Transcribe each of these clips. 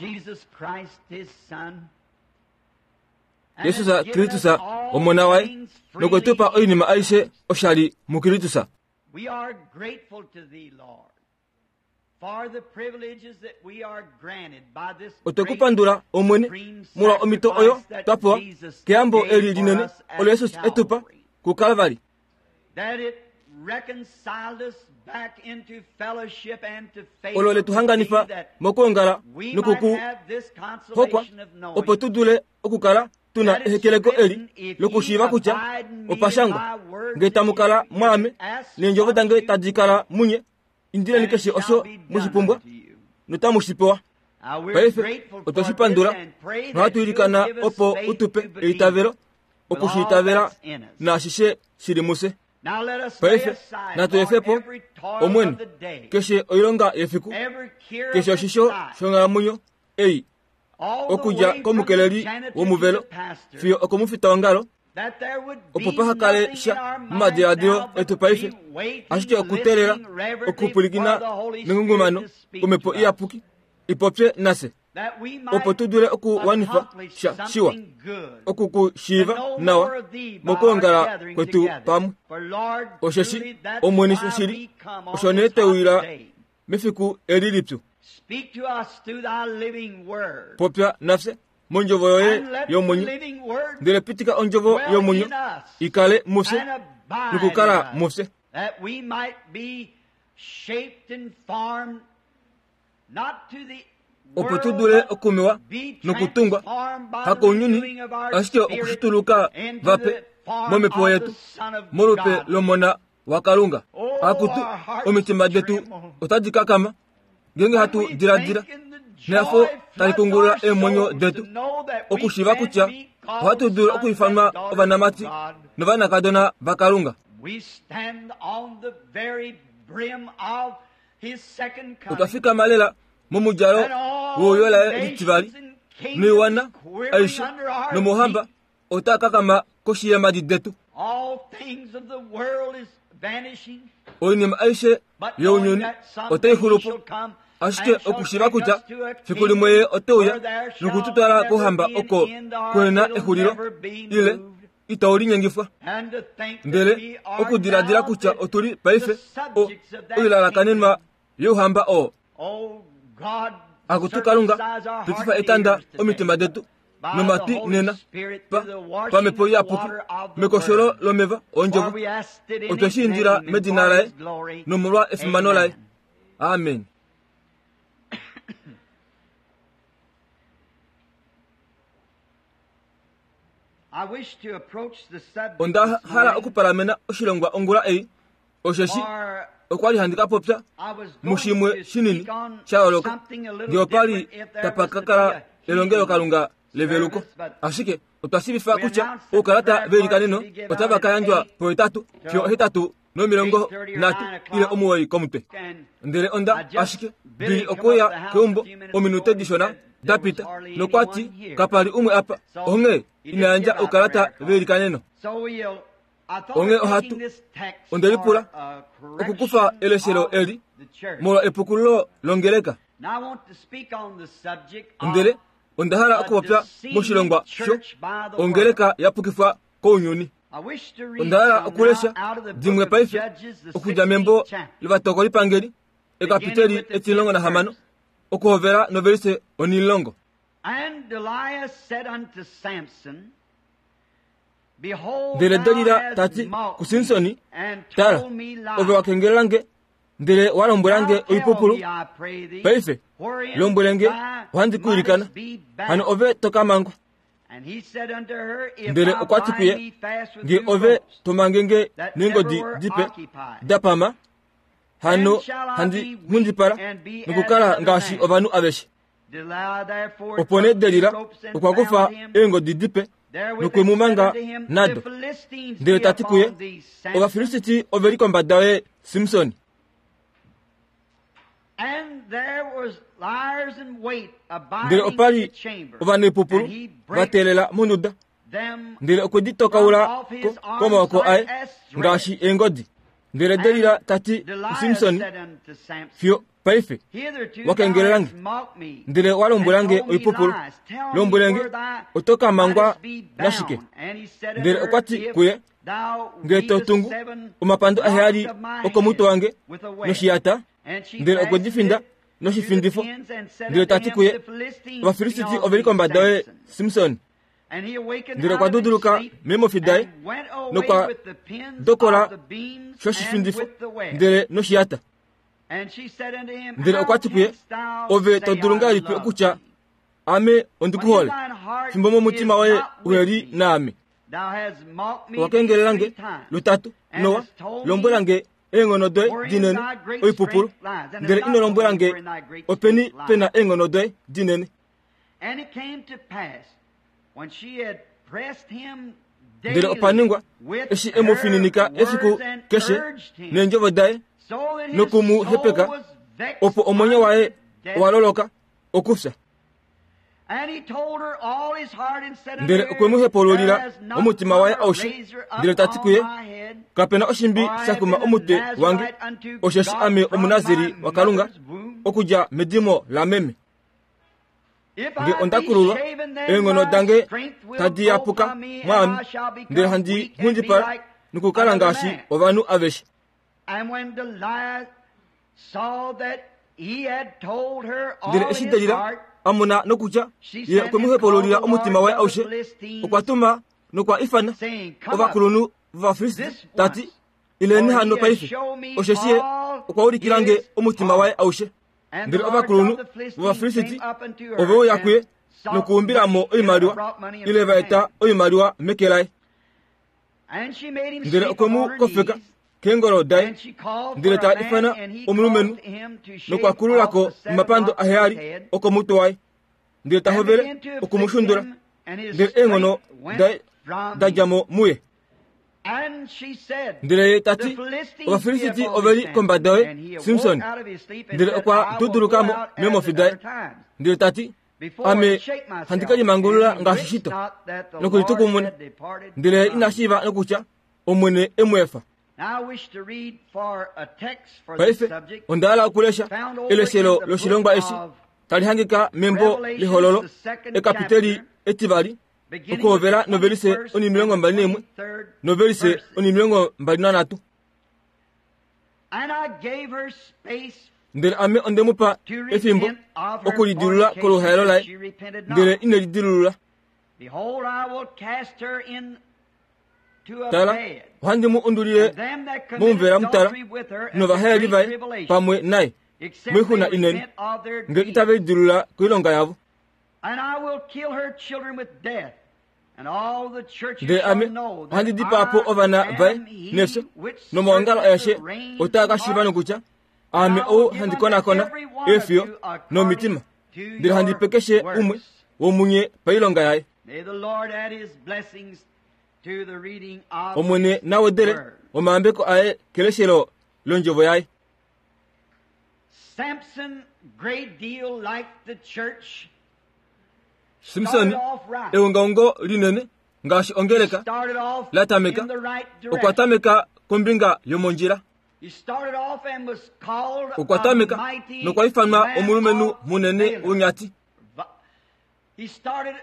Jesus Kristus Omona waye nokwe tu pa oinima aishe oshali muKristus. Otwe ku pandula Omwene molwa omhito oyo twa pewa keyambo eli linene olo Jesus e tu pa kuKalvari. Olo le tu hanganifa mokwoongala noku ku hokwa opo tu dule okukala tu na ehekeleko eli lokushiiva kutya opa shangwa nge tamu kala mwaame neendjovo dange tadi kala munye indileni keshe osho mwe shi pumbwa notamu shi pewa. Paife otwe shi pandula nohatu ilikana opo u tu pe eitavelo oku shi itavela naashishe shi li mufye. Paife natu efe po, Omwene, keshe oilonga yefiku, keshe oshisho shonghalamwenyo ei, okudja komukeleli womuvelo fiyo okomufitaongalo, opo paha kale sha momadiladilo etu paife, ashike okuteelela okupwilikina mengungumano komhepo iyapuki i popye nafye, opo tu dule okuwanifa sha shiwa, oku ku shiiva nawa mokwoongala kwetu pamwe. Osheshi Omwene shili osho nee twe uyila mefiku eli lipyu. Popya nafye mondjovo yoye yomwenyo, ndele pitika ondjovo yomwenyo i kale mufye nokukala mufye. Opo tu dule okumewa nokutungwa, hakounyuni, ashike okushituluka vape momhepo yetu, molupe lOmona waKalunga. Akutu, omitima detu otadi kakama ngeenge hatu diladila nehafo tali kungulula eemwenyo detu okushiiva kutya ohatu dulu okuifanwa ovanamati novanakadona vaKalunga. Otwa fikama lela momudjalo weuyo laye litivali, noiwana aishe nomouhamba otaa kakama koshi yeemhadi detu. Oinima aishe younyuni otai xulu po, ashike okushiiva kutya fiku limwe ye ote uya noku tu twala kouhamba oko kuhe na exulilo ile itau linyengifwa. Ndele okudiladila kutya otu li paife o, oilalakanenwa youhamba oo. Akutu Kalunga, pitifa etanda omitima detu nomatwi nena pa, pamhepo iyapuki mekosholo lomeva ondjovo. Otwe shi indila medina laye nomolwa efimano laye. Amen. Onda hala okupalamena oshilongwa ongula ei, osheshi okwa li handi ka popya mushimwe shinini sha yooloka nge opa li tapa ka kala elongelokalunga leveluko. Ashike otwa shiivifa kutya oukalata veilikaneno otava ka yandjwa pohetatu fiyo ohetatu nomilongo nhatu ile omuwoi komutwe. Ndele onda ashike ndi okuya keumbo ominute dishona da pita, nokwa ti kapa li umwe apa, onghee ina yandja oukalata veilikaneno. Onghee ohatu, onde lipula okukufa eleshelo eli molwa epukululo longeleka. Ndele onda hala okupopya moshilongwa sho ongeleka ya pukifwa kounyuni. Onda hala okulesha dimwe paife okudja membo lOvatokolipangeli, ekapiteli etimulongo nahamano, okuhovela novelise onhimulongo. Ndele Delila ta ti kuSimson, Tala, ove wa kengelela nge, ndele wa lombwela nge oipupulu. Paife, lombwele nge, ohandi ku ilikana, hano ove to ka mangwa. Ndele okwa ti kuye, Nge ove to mange nge neengodi dipe da pama, hano handi nghundipala nokukala ngaashi ovanhu aveshe. Opo nee Delila okwa kufa eengodi dipe nokwe mu manga nado, ndele ta ti kuye, Ovafilisti ove li kombada yoye, Simson. Ndele opa li ovanaipupulu va teelela monduda, ndele okwe di tokaula ko komaoko aye ngaashi eengodi. Ndele Delila ta ti kuSimson, Fiyo paife wa kengelela nge, ndele wa lombwela nge oipupulu. Lombwele nge, oto ka mangwa nashike? Ndele okwa ti kuye, Nge to tungu omapando aheyali okomutwe wange noshiyata, ndele okwe di finda noshifindifo, ndele ta ti kuye, Ovafilisiti ove li kombada yoye, Simson. Ndele okwa duduluka meemofi daye nokwa dokola shoshifindifo ndele noshiyata. Ndele okwa ti kuye, Ove to dulu ngahelipi okutya, Ame ondi ku hole, fimbo momutima woye uhe li naame? Owa kengelela nge lutatu nowa lombwela nge eenghono doye dinene oipupulu, ndele ino lombwela nge openi pe na eenghono doye dinene. Ndele opa ningwa, eshi e mu fininika efiku keshe neendjovo daye noku mu hepeka, opo omwenyo waye wa loloka okufya. Ndele okwe mu hepaululila omutima waye aushe, ndele ta ti kuye, Kape na oshimbi sha kuma omutwe wange, osheshi ame Omunasiri waKalunga okudja medimo lameme. Nge onda kululwa, eenghono dange tadi yapuka mwaame, ndele handi nghundipala nokukala ngaashi ovanhu aveshe. Ndele eshi Delila a mona nokutya ye okwe mu hepaululila omutima waye aushe, okwa tuma nokwa ifana ovakulunhu vOvafilisti ta ti, Ileni hano paife, osheshi ye okwa ulikila nge omutima waye aushe. Ndele ovakulunhu vOvafilisiti ove uya kuye nokuumbila mo oimaliwa, ile va eta oimaliwa meke laye. Ndele okwe mu kofeka keengolo daye, ndele ta ifana omulumenhu nokwa kulula ko omapando aheyali okomutwe waye, ndele ta hovele oku mu shundula, ndele eenghono daye da dja mo muye. Ndele ye ta ti, Ovafilisiti ove li kombada yoye, Simson. Ndele okwa duduluka mo meemofi daye, ndele ta ti, Ame handi ke limangulula ngaashi shito nokulitukumuna. Ndele ye ina shiiva nokutya, Omwene e mu efa. Paife onda hala okulesha eleshelo loshilongwa eshi tali hangika membo lEhololo, ekapiteli etivali, okuhovela novelise onimilongo mbali naimwe novelise onimilongo mbali nanhatu. Ndele ame onde mu pa efimbo okulidilula koluhaelo laye, ndele ine lidilulula. Tala, ohandi mu undulile momuvela mutala novahaeli vaye pamwe naye moixuna inene, nge itave lidilulula koilonga yavo. Ndele ame ohandi dipaa po ovana vaye nefyo, nomaongalo aeshe otaa ka shiiva nokutya, aame ou handi konakona eefiyo nomitima, ndele handi pe keshe umwe womunye pailonga yaye. Omwene na wedele omayambeko aye keleshelo londjovo yaye. Samson, great deal like the church, Simson eungaungo linene ngaashi ongeleka started off la tameka in the right okwa direction. tameka kombinga yomondjila He started off and was called okwa a tameka mighty nokwa ifanwa man omulumenhu of munene valor. wonyati He started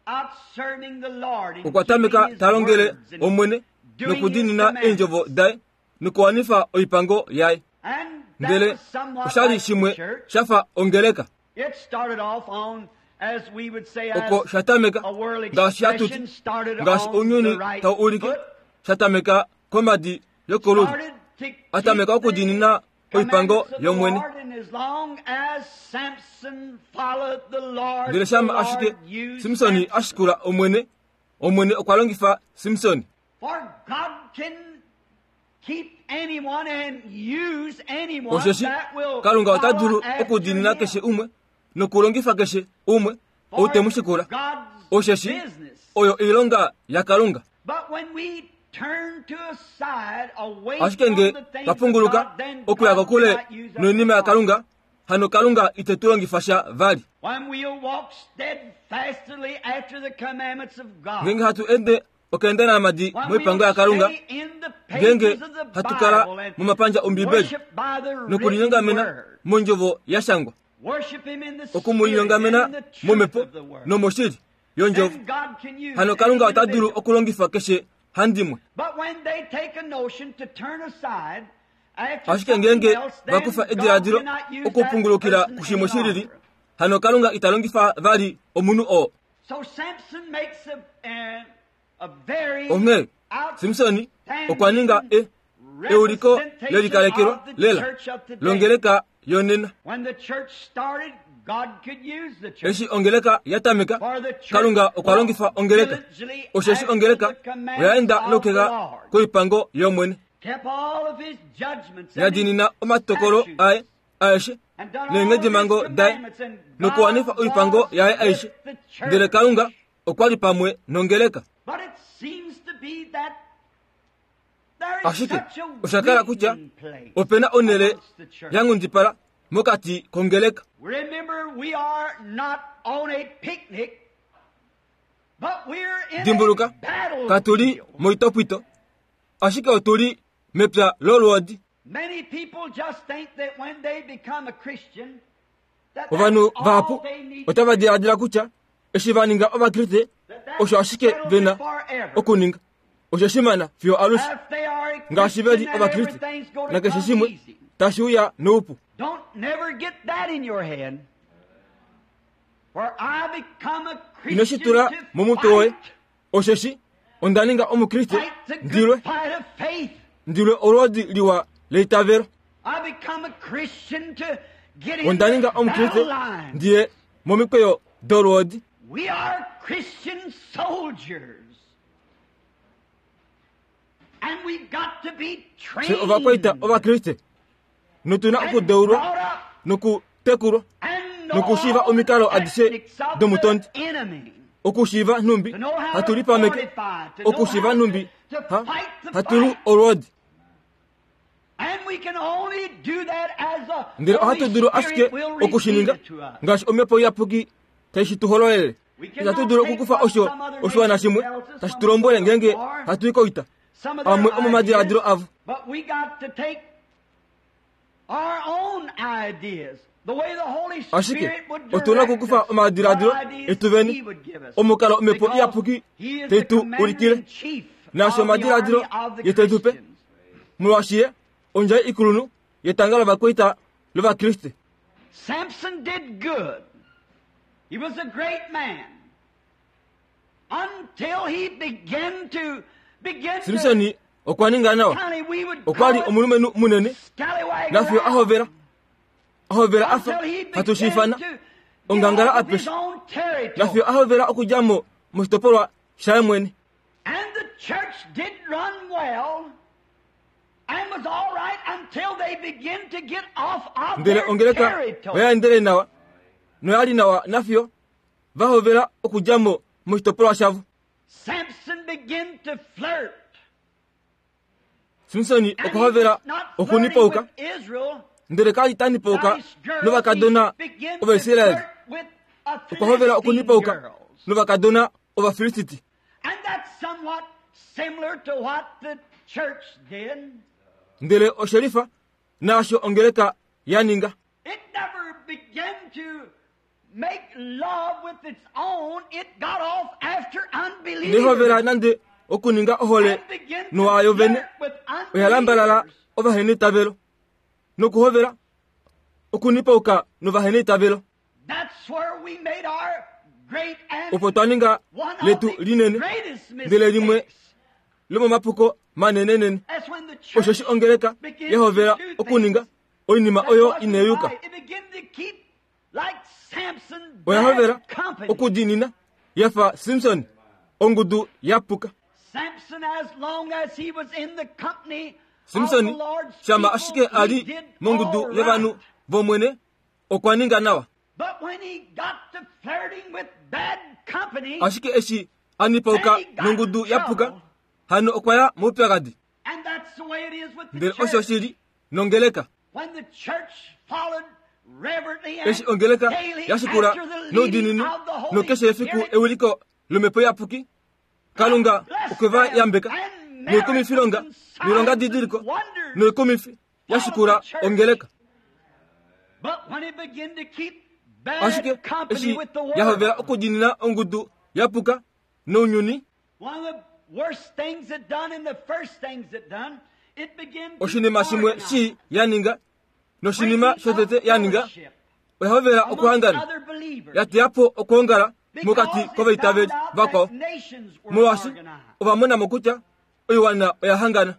out serving the Lord and okwa tameka keeping his ta longele words and Omwene doing his nokudiinina commandments. eendjovo daye nokuwanifa oipango yaye. And that Ndele was somewhat osha li like the shimwe church. sha fa ongeleka. It started off on, as we would say, as Oko sha tameka a world ngaashi hatu ti expression, started ngaashi on ounyuni the right tau ulike foot, sha tameka komadi yokolulyo. started to A tameka keep the okudiinina oipango commandments of the yOmwene. Lord, and as long as Samson followed the Lord, Ndele the shama Lord ashike used Simsoni Samson. a shikula Omwene, Omwene okwa longifa Simsoni. For God can keep anyone and use anyone Osheshi that will Kalunga ota follow dulu after okudiinina him. keshe umwe nokulongifa keshe umwe ou te mu shikula. God's Osheshi business. oyo oilonga yaKalunga. But when we turn to a side away Ashike from nge the things twa of punguluka God, then okuya God kokule cannot use us noinima at all. yaKalunga, hano Kalunga ite tu longifa sha vali. When we'll walk steadfastly after the commandments of God, Ngeenge hatu ende Okweenda naamadi moipango yaKalunga, ngeenge hatu kala momapandja Ombibeli nokulinyongamena mondjovo ya shangwa, oku mu linyongamena momhepo nomoshili yondjovo, hano Kalunga ota dulu okulongifa keshe handimwe. Ashike ngeenge va kufa ediladilo okupungulukila kushimwe shi lili, hano Kalunga ita longifa vali omunhu oo. Onghee Simson okwa ninga e, euliko lelikalekelwa lela longeleka yonena. Eshi ongeleka ya tameka, Kalunga okwa longifa ongeleka, osheshi ongeleka oya enda nokeka koipango yOmwene, ya diinina omatokolo aye aeshe neenghedimhango daye nokuwanifa oipango yaye aishe. Ndele Kalunga okwa li pamwe nongeleka. Ashike osha kala kutya ope na onhele ya nghundipala mokati kongeleka. Dimbuluka, katu li moitopwito, ashike otu li mepya lolwoodi. Ovanhu vahapu otava diladila kutya eshi va ninga Ovakriste osho ashike ve na okuninga. Osho shimana fiyo alushe ngaashi ve li Ovakriste nakeshe shimwe tashi uya noupu. Ino shi tula momutwe woye osheshi onda ninga omukriste ndilwe ndilwe olwoodi liwa leitavelo onda ninga omukriste ndiye momikweyo dolwoodi fye ovakwaita ovakriste notu na okudeulwa nokutekulwa nokushiiva omikalo adishe domutondi okushiiva nhumbi hatu lipameke okushiiva nhumbi hatu lu olwoodi ndele ohatu dulu ashike oku shi ninga ngaashi omhepo iyapuki tai shi tu hololele itatu dulu okukufa osho oshiwana shimwe tashi tu lombwele ngeenge hatu i koita amwe omomadiladilo avo Ashike otu na okukufa omadiladilo etu vene, omukalo omhepo iyapuki tai tu ulikile, naashi omadiladilo ye te tu pe, molwaashi ye ondjai ikulunhu yetanga lovakwaita lOvakriste. Samson did good. He was a great man. Until he began to begin to Simsoni okwa ninga nawa. Okwa li omulumenhu munene nafiyo a hovela a hovela a fa hatu shi ifana ongangala apeshe nafiyo a hovela okudja mo moshitopolwa shaye mwene. And the church did run well and was all right until they begin to get off of Ndele their ongeleka territory. oya endele nawa noya li nawa nafiyo va hovela okudja mo moshitopolwa shavo. Samson began to flirt. Simsoni And okwa he hovela was not flirting okunipauka with Israel, ndele ka li ta nipauka not his girls. novakadona He began to Ovaisraeli. flirt with a Okwa hovela Philistine okunipauka girls. novakadona Ovafilistiti. And that's somewhat similar to what the church did. Ndele oshelifa naasho ongeleka ya ninga. It never began to make love with its own. It got off after Inai hovela unbelievers. nande okuninga ohole And began to nowayo vene flirt with oya lambalala unbelievers. ovaheneitavelo nokuhovela okunipauka novaheneitavelo. That's where we made our great and Opo twa ninga one of letu the linene greatest ndele limwe mistakes. lomomapuko manenenene That's when the osheshi church ongeleka began ya hovela to do okuninga things oinima that oyo wasn't inai yuka. right. It began to keep, like Samson, Oya hovela bad company. okudiinina ya fa Simson ongudu ya puka. Samson, as long as he was in the company of the Simson Lord's shama people, ashike a he li did mongudu all yovanhu right. vOmwene okwa ninga nawa. But when he got to flirting with bad company, Ashike eshi a nipauka then he got nongudu ya puka trouble. hano okwa ya moupyakadi. And that's the way it is with the Ndele osho church. shi li nongeleka. When the church followed reverently and Eshi ongeleka daily ya shikula after the leading noudiinini of the Holy nokeshe efiku Spirit, ewiliko lomhepo iyapuki, Kalunga okwe va yambeka noikumifilonga noilongadidiliko noikumifi ya shikula ongeleka. Ashike eshi ya hovela okudiinina ongudu ya puka nounyuni, oshinima shimwe shii ya ninga noshinima shotete ya ninga, oya hovela okuhangana, ya teya po okwoongala mokati kovaitaveli vakwao, molwaashi ova mona mo kutya oiwana oya hangana.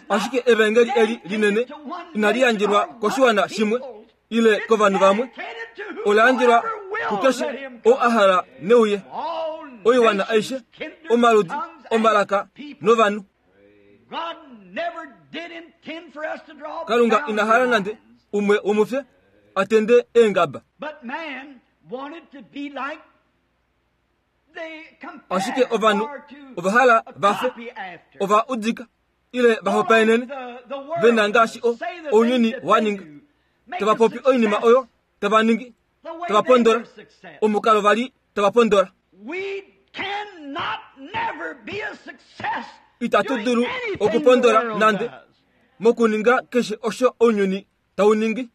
Ashike evaengeli eli linene inali yandjelwa koshiwana shimwe ile kovanhu vamwe, ola yandjelwa kukeshe oo a hala neuye, oiwana aishe, omaludi, omalaka novanhu. Kalunga ina hala nande umwe womufye a tende eengaba. Ashike ovanhu ova hala va fe, ova udika ile va hopaenene ve na ngaashi ounyuni wa ninga, tava popi oinima oyo tava ningi, tava pondola omukalo va li tava pondola. Itatu dulu okupondola nande mokuninga keshe osho ounyuni tau ningi.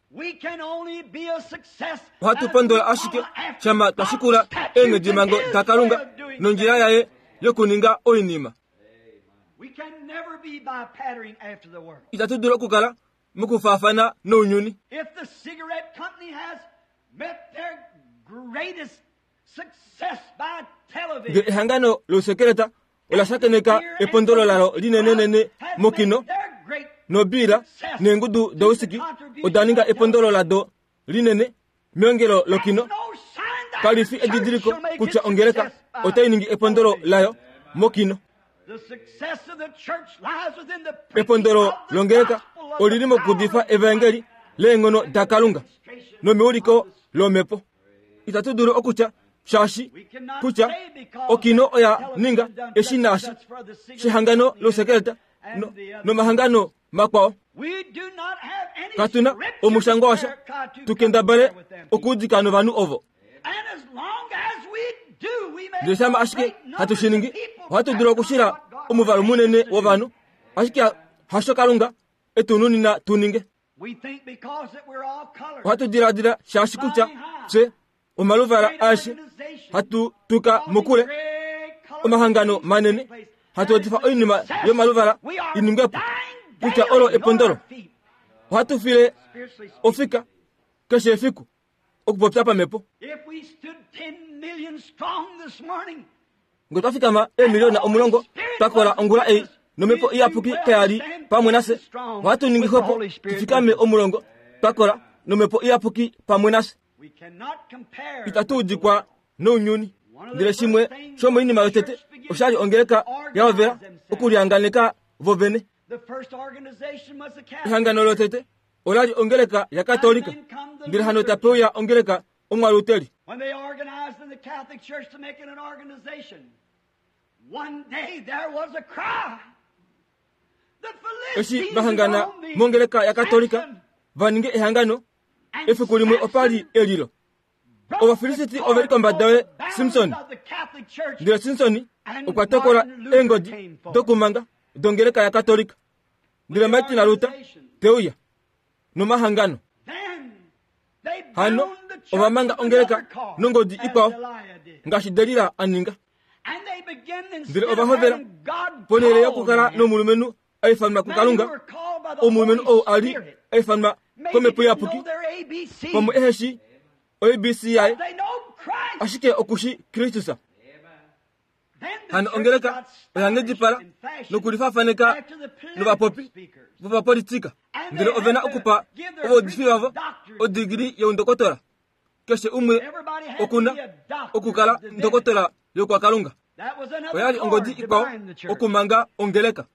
Ohatu pondola ashike shama twa shikula eenghedimhango daKalunga nondjila yaye yokuninga oinima. Itatu dulu okukala mokufaafana nounyuni. Nge ehangano lousekeleta ola shakeneka epondolo lalo linenenene mokino, nobiila neengudu dousiki oda ninga epondolo lado linene meongelo lokino, kali fi edidiliko kutya ongeleka otai ningi epondolo layo mokino. Epondolo longeleka oli li mokuudifa evaengeli leenghono daKalunga nomeuliko lomhepo. Itatu dulu okutya shaashi kutya okino oya ninga eshi naashi shehangano losekelta no, nomahangano makwao. Katu na omushangwa washa tu kendabale okuudika novanhu ovo. Ndele shama ashike hatu shi ningi, ohatu dulu okushila omuvalu munene wovanhu, ashike hasho Kalunga e tu nunina tu ninge. Ohatu diladila shaashi kutya fye omaluvala aeshe hatu tuka mokule omahangano manene hatu etifa oinima yomaluvala i ningwe po kutya olo epondolo. Ohatu file ofika keshe efiku okupopya pamhepo. Nge twa fikama eemiliona omulongo twa kola ongula ei nomhepo iyapuki kaya li pamwe nafye, ohatu ningi xwepo tu fikame omulongo twa kola nomhepo iyapuki pamwe nafye. Itatu udikwa nounyuni. Ndele shimwe shomoinima yotete osha li ongeleka ya hovela okulihanganeka vo vene. Ehangano lotete ola li ongeleka yaKatolika, ndele hano tape uya ongeleka Omwaluteli. Eshi va hangana mongeleka yaKatolika va ninge ehangano, efiku limwe opa li elilo. Ovafilisiti ove li kombada yoye, Simson. Ndele Simson okwa tokola eengodi dokumanga dongeleka yaKatolika. Ndele Martin Luther te uya nomahangano. Hano ova manga ongeleka nongodi ikwao ngaashi Delila a ninga. Ndele ova hovela ponhele yokukala nomulumenhu a ifanwa kuKalunga, omulumenhu ou a li a ifanwa komhepo iyapuki, pamwe ehe shii oABC yaye, ashike oku shii Kristus. Hano ongeleka oya nghedipala nokulifaafaneka novapopi vopapolitika, ndele ove na okupa ovaudifi vavo odigili youndokotola. Keshe umwe oku na okukala ndokotola yokwakalunga. Oya li ongodi ikwao okumanga ongeleka.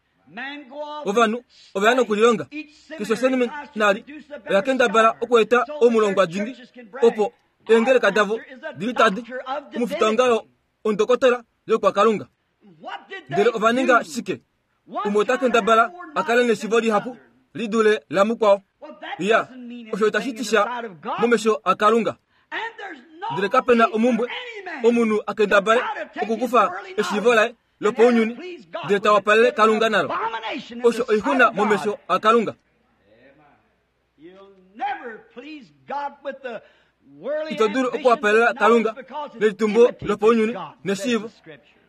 Ovanhu ove ya nokulilonga. Keshe oseminari oya kendabala okueta omulongwa dingi opo eengeleka davo di litade omufitaongalo ondokotola yokwakalunga. Ndele ova ninga shike? Umwe ota kendabala a kale neshivo lihapu li dule lamukwao. Ya, osho itashi ti sha momesho aKalunga. Ndele kape na omumbwe omunhu a kendabale okukufa eshiivo laye lopaunyuni ndele ta wapalele Kalunga nalo. Osho oixuna momesho aKalunga. Ito dulu okuwapalela Kalunga nelitumbo lopaunyuni neshiivo,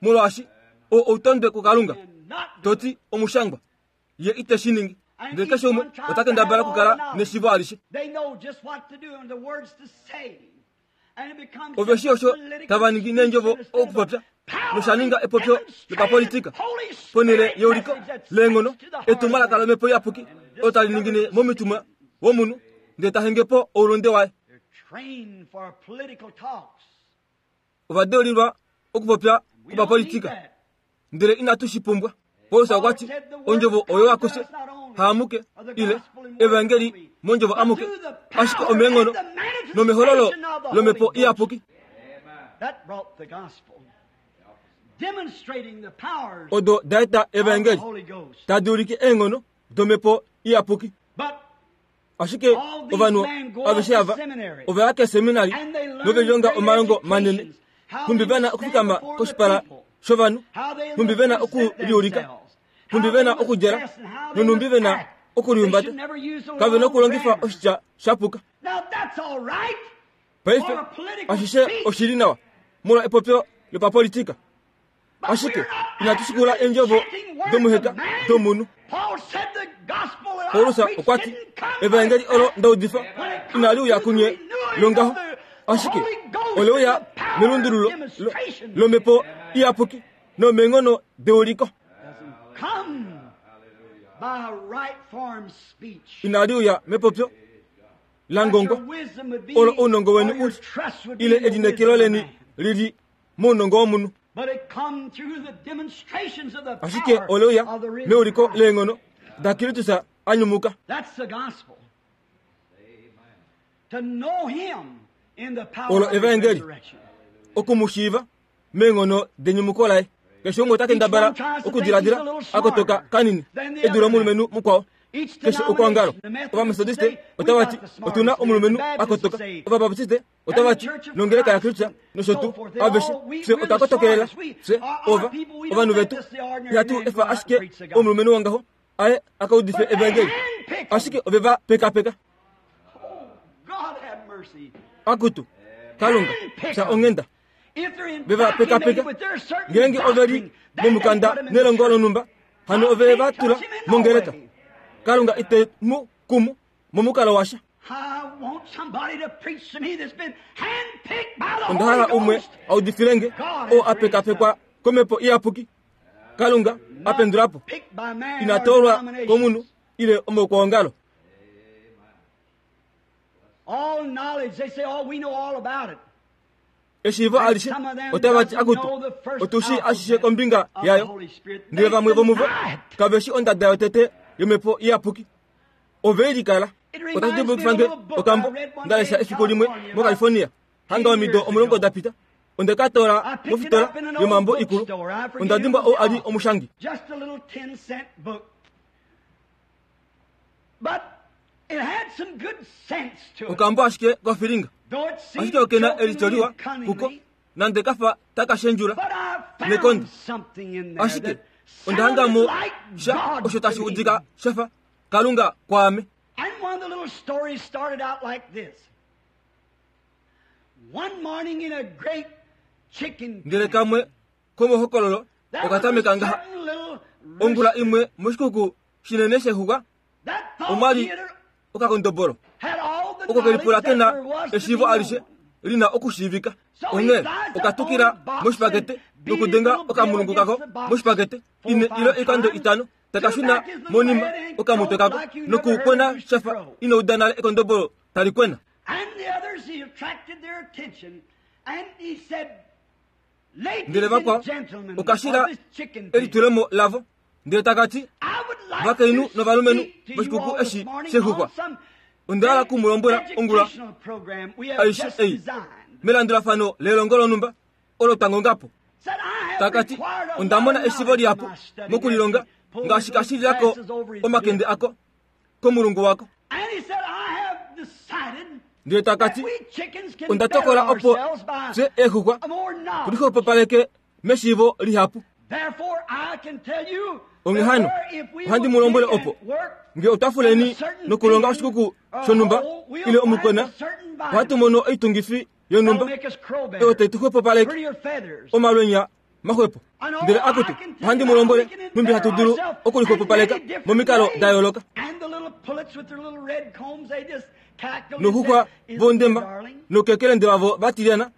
molwaashi oo outondwe kuKalunga. To ti omushangwa, Ye ite shi ningi. Ndele keshe umwe ota kendabala okukala neshiivo alishe. Ove shii osho tava ningi neendjovo okupopya, nosha ninga epopyo lopapolitika ponhele yeuliko leenghono, etumwalaka lOmhepo Iyapuki olo tali ningine momitima womunhu ndele ta henge po oulunde waye. Ova deulilwa okupopya kwopapolitika, ndele inatu shi pumbwa. Paulus okwa ti, Ondjovo oyo akuse, haamuke, ile evangeli mondjovo amuke, ashike omeenghono nomehololo lOmhepo Iyapuki. Odo da eta evangeli, tadi ulike eenghono dOmhepo Iyapuki. Ashike ovanhu aveshe ava ova ya keeseminari nove lilonga omalongo manene, nhumbi ve na okufikama koshipala shovanhu, nhumbi ve na okuliulika, nhumbi ve na okudjala nonhumbi ve na okulihumbata. Kave na okulongifa oshitya sha puka. Paife ashishe oshi li nawa molwa epopyo lopapolitika. Ashike inatu shikula eendjovo domuheka domunhu. Paulus okwa ti, Evaengeli olo nda udifa inali uya kunye longaho, ashike ole uya melundululo lomhepo iyapuki nomeenghono deuliko. Inali uya mepopyo la ngongwa olo ounongo weni u li, ile elineekelo leni li li mounongo womunhu. Ashike ole uya meuliko leenghono daKristus a nyumuka. Olo evaengeli, oku mu shiiva meenghono denyumuko laye. Keshe umwe ota kendabala okudiladila a kotoka kanini e dule omulumenhu mukwao. Keshe okwoongalo, Ovametodiste otava ti, Otu na omulumenhu a kotoka. Ovabaptiste otava ti, nongeleka yaKristus nosho tuu, aveshe, fye otwa kotokelela, fye, ova, ovanhu vetu, ihatu efa ashike omulumenhu wongaho aye a ka udife evangeli. Ashike ove va pekapeka. Akutu, Kalunga, fya onghenda. Ve va pekapeka. Ngeenge ove li momukanda nelongo lonhumba, hano ove va tula mongeleka. Kalunga ite mu kumu momukalo washa. Onda hala umwe a udifile nge, oo a pekapekwa komhepo iyapuki. Kalunga a pendula po. Ina toolwa komunhu ile omaukwaongalo. Eshiivo alishe otava ti akutu, otu shii ashishe kombinga yayo. Ndele vamwe vomuvo kave shi ondada yotete yomhepo iyapuki. Ove i likala. Otashi dimbulukifa nge okambo nda lesha efiku limwe moCalifornia, hanga omido omulongo da pita. Onde ka toola mofitola yomambo ikulu. Onda dimbwa ou a li omushangi. Okambo ashike kofilinga, ashike oke na elityo liwa kuko, nande ka fa taka shendjula nekonde. Ashike onda hanga mo sha osho tashi udika sha fa Kalunga kwaame. And one of the little stories started out like this. One morning in a great chicken Ndele kamwe komohokololo oka tameka ngaha. Ongula imwe moshikuku shinene shexuxwa omwa li okakondobolo oko ke lipula ke na eshiivo alishe li na okushiivika. Onghee oka tukila moshipakete nokudenga okamulungu kako moshipakete ine ile oikando itano taka shuna monima okamutwe kako nokukwena sha fa ino uda nale ekondobolo tali kwena. Ndele vakwao oka shila elitulemo lavo ndele taka ti, Vakainhu novalumenhu voshikuku eshi shexuxwa, onda hala ku mu lombwela ongula aishe ei melandulafano lelongo lonhumba olo twa ngonga po. Taka ti, Onda mona eshiivo lihapu mokulilonga ngaashi ka shilila ko omakende ako komulungu wako. Ndele taka ti, Onda tokola opo fye eexuxwa tulixwepopaleke meshiivo lihapu. Onghee hano, ohandi mu lombwele opo nge otwa fuleni nokulonga oshikuku shonhumba ile omukwena, ohatu mono oitungifi yonhumba oyo tai tu xwepopaleke omalwenya maxwepo. Ndele akutu, ohandi mu lombwele nhumbi hatu dulu okulixwepopaleka momikalo da yooloka. Noxuxwa vondemba noukekelende vavo va tilyana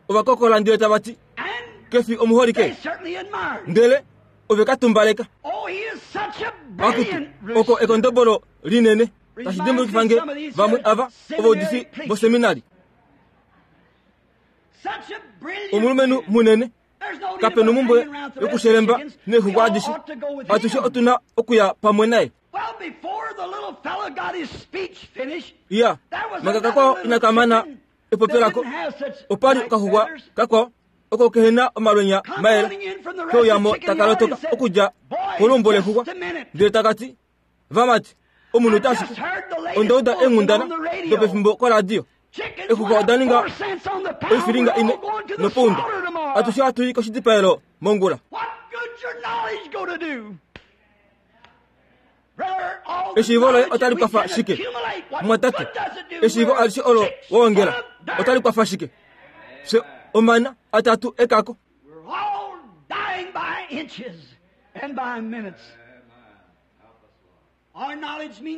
ova kokola ndele tava ti, Ke fi omuholike? Ndele ove ka tumbaleka. Akutu, oko ekondobolo linene. Tashi dimbulukifa nge vamwe ava ovaudifi voseminari. Omulumenhu munene, kape nomumbwe yokushelemba neexuxwa adishe. Atushe otu na okuya pamwe naye. Iya, manga kakwao inaka mana epopyo lako, opa li okaxuxwa kakwao oko kehe na omalwenya mayela keuya mo taka lotoka okudja koluumbo lexuxwa ndele taka ti, Vamati, omunhu ta ashike onda uda eenghundana dopefimbo koradio. Exuxwa oda ninga oifilinga ine nopounda. Atushe ohatu i koshidipaelo mongula. Eshiivo loye otali kwafa shike? Mumwatate, eshiivo alishe olo wa ongela otali kwafa shike? Fye omana atatu ekako.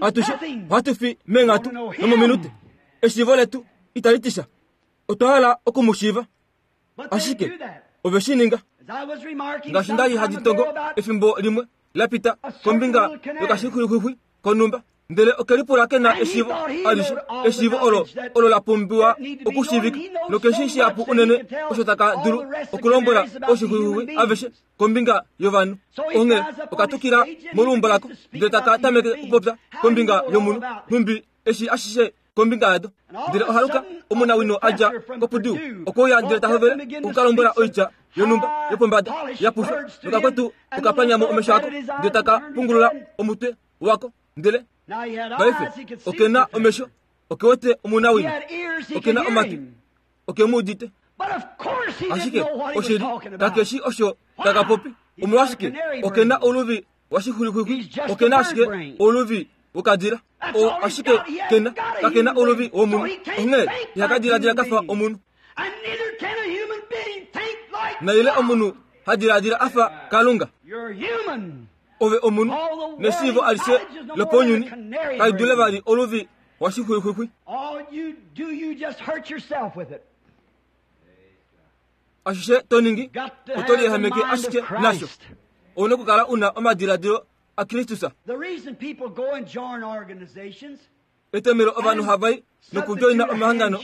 Atushe ohatu fi meenghatu nomominute. Eshiivo letu itali ti sha. Otwa hala oku mu shiiva. Ashike ove shi ninga. Ngaashi nda li handi tongo efimbo limwe la pita kombinga yokashixwixwixwi konhumba, ndele oke lipula ke na eshiivo alishe, eshiivo olo olo la pumbiwa okushiivika, nokeshi shihapu unene osho taka dulu okulombwela oshixwixwixwi aveshe kombinga yovanhu. Onghee oka tukila moluumbo lako ndele taka tameke okupopya kombinga yomunhu, nhumbi eshi ashishe kombinga yado. Ndele ohaluka omunawino a dja koPurdue okwe uya ndele ta hovele oku ka lombwela oitya yonhumba yopombada ya pushwa, nokakwetu oka panya mo omesho ako ndele taka pungulula omutwe wako. Ndele paife oke na omesho, oke wete omunawino, oke na omatwi, oke mu udite. Ashike oshili kake shi osho taka popi. Omolwashike? Oke na oluvi washixwilixwixwi, oke na ashike oluvi wokadila. Oo ashike ke na, kake na oluvi womunhu. Onghee ihaka diladila ka fa omunhu. Naile omunhu ha diladila a fa Kalunga. Ove omunhu, neshiivo alishe lopounyuni kali dule vali oluvi washixwilixwixwi. Ashishe to ningi, oto liyehameke ashike nasho. Ou na okukala u na omadiladilo aKristus. Etomhelo ovanhu hava i nokudjoina omahangano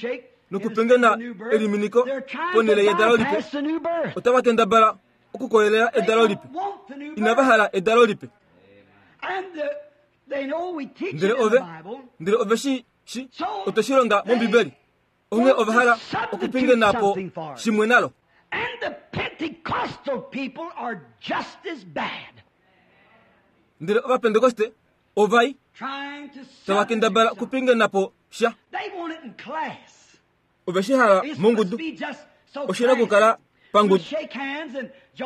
nokupingena eliminiko ponhele yedalo lipe, otava kendabala okukoyelela edalo lipe. Inava hala edalo lipe. Ndele ove, ndele ove shi shi, otwe shi longa mOmbibeli. Onghee ova hala okupingena po shimwe nalo. Ndele Ovapentekoste ovai tava kendabala okupingena po sha. Ove shi hala mongudu. Oshi na okukala pangudu.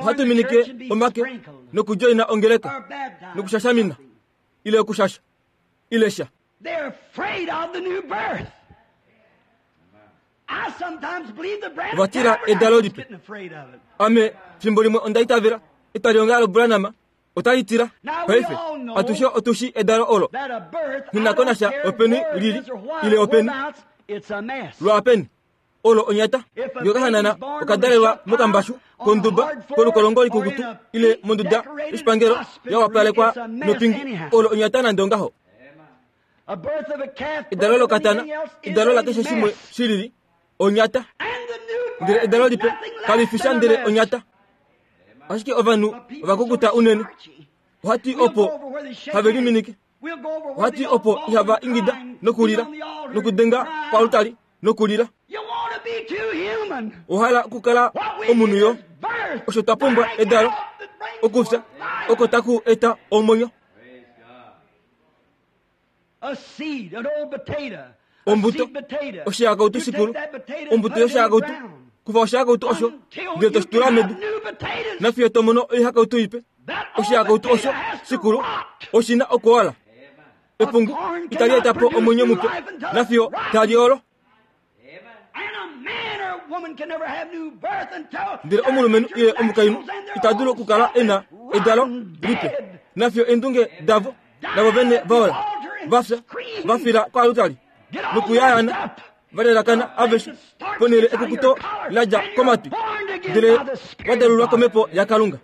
Ohatu minike omake nokudjoina ongeleka nokushashamina ile okushasha ile sha. They're afraid of the new birth. I sometimes believe the Branham Ova tila edalo lipe. getting afraid of it. Ame fimbo limwe onda itavela etwalihongalo loBranham otali tila. Paife atushe otu shi edalo olo That a birth, I Nghi na ko don't nasha care openi where it lili, is or why, ile openi. whereabouts, it's a mess. lwaapeni olo onyata If a ngee okahanana baby's born oka dalelwa on a mokambashu on a konduba hard floor, kolukolongo or likukutu in a ile monduda decorated yoshipangelo hospital ya wapalekwa room, it's a mess nopingu anyhow. olo onyata nande ongaho A birth of a calf, edalo birth of lokatana anything else is edalo a lakeshe shimwe mess. shilili onyata And the new birth ndele edalo is lipe nothing less kali fi sha than a ndele mess. onyata ashike ovanhu But people ova kukuta so unene starchy. ohati We'll go opo over where they shake have hands. liminike We'll go over where ohati they opo all ihava crying, ingida nokulila be on the altar, nokudenga cry. palutali nokulila You want to be too human. ohala okukala What we omunhu need yo is birth. osho twa pumbwa Dying edalo out that brings okufya forth life. oko taku eta omwenyo A seed, an old potato. Ombuto, oshihakautu shikulu, ombuto yoshihakautu, kufa oshihakautu osho ndele toshi tula medu, nafiyo to mono oihakautu ipe. Oshihakautu osho shikulu oshi na okuola. Epungu itali eta po omwenyo mupe nafiyo tali olo. Ndele omulumenhu ile omukainhu ita dulu okukala e na edalo lipe nafiyo eendunge davo navo vene vaola, va fya, va fila koalutali nokuyayana va lelakana aveshe ponhele ekukuto la dja komatwi, ndele va dalulwa komhepo yaKalunga.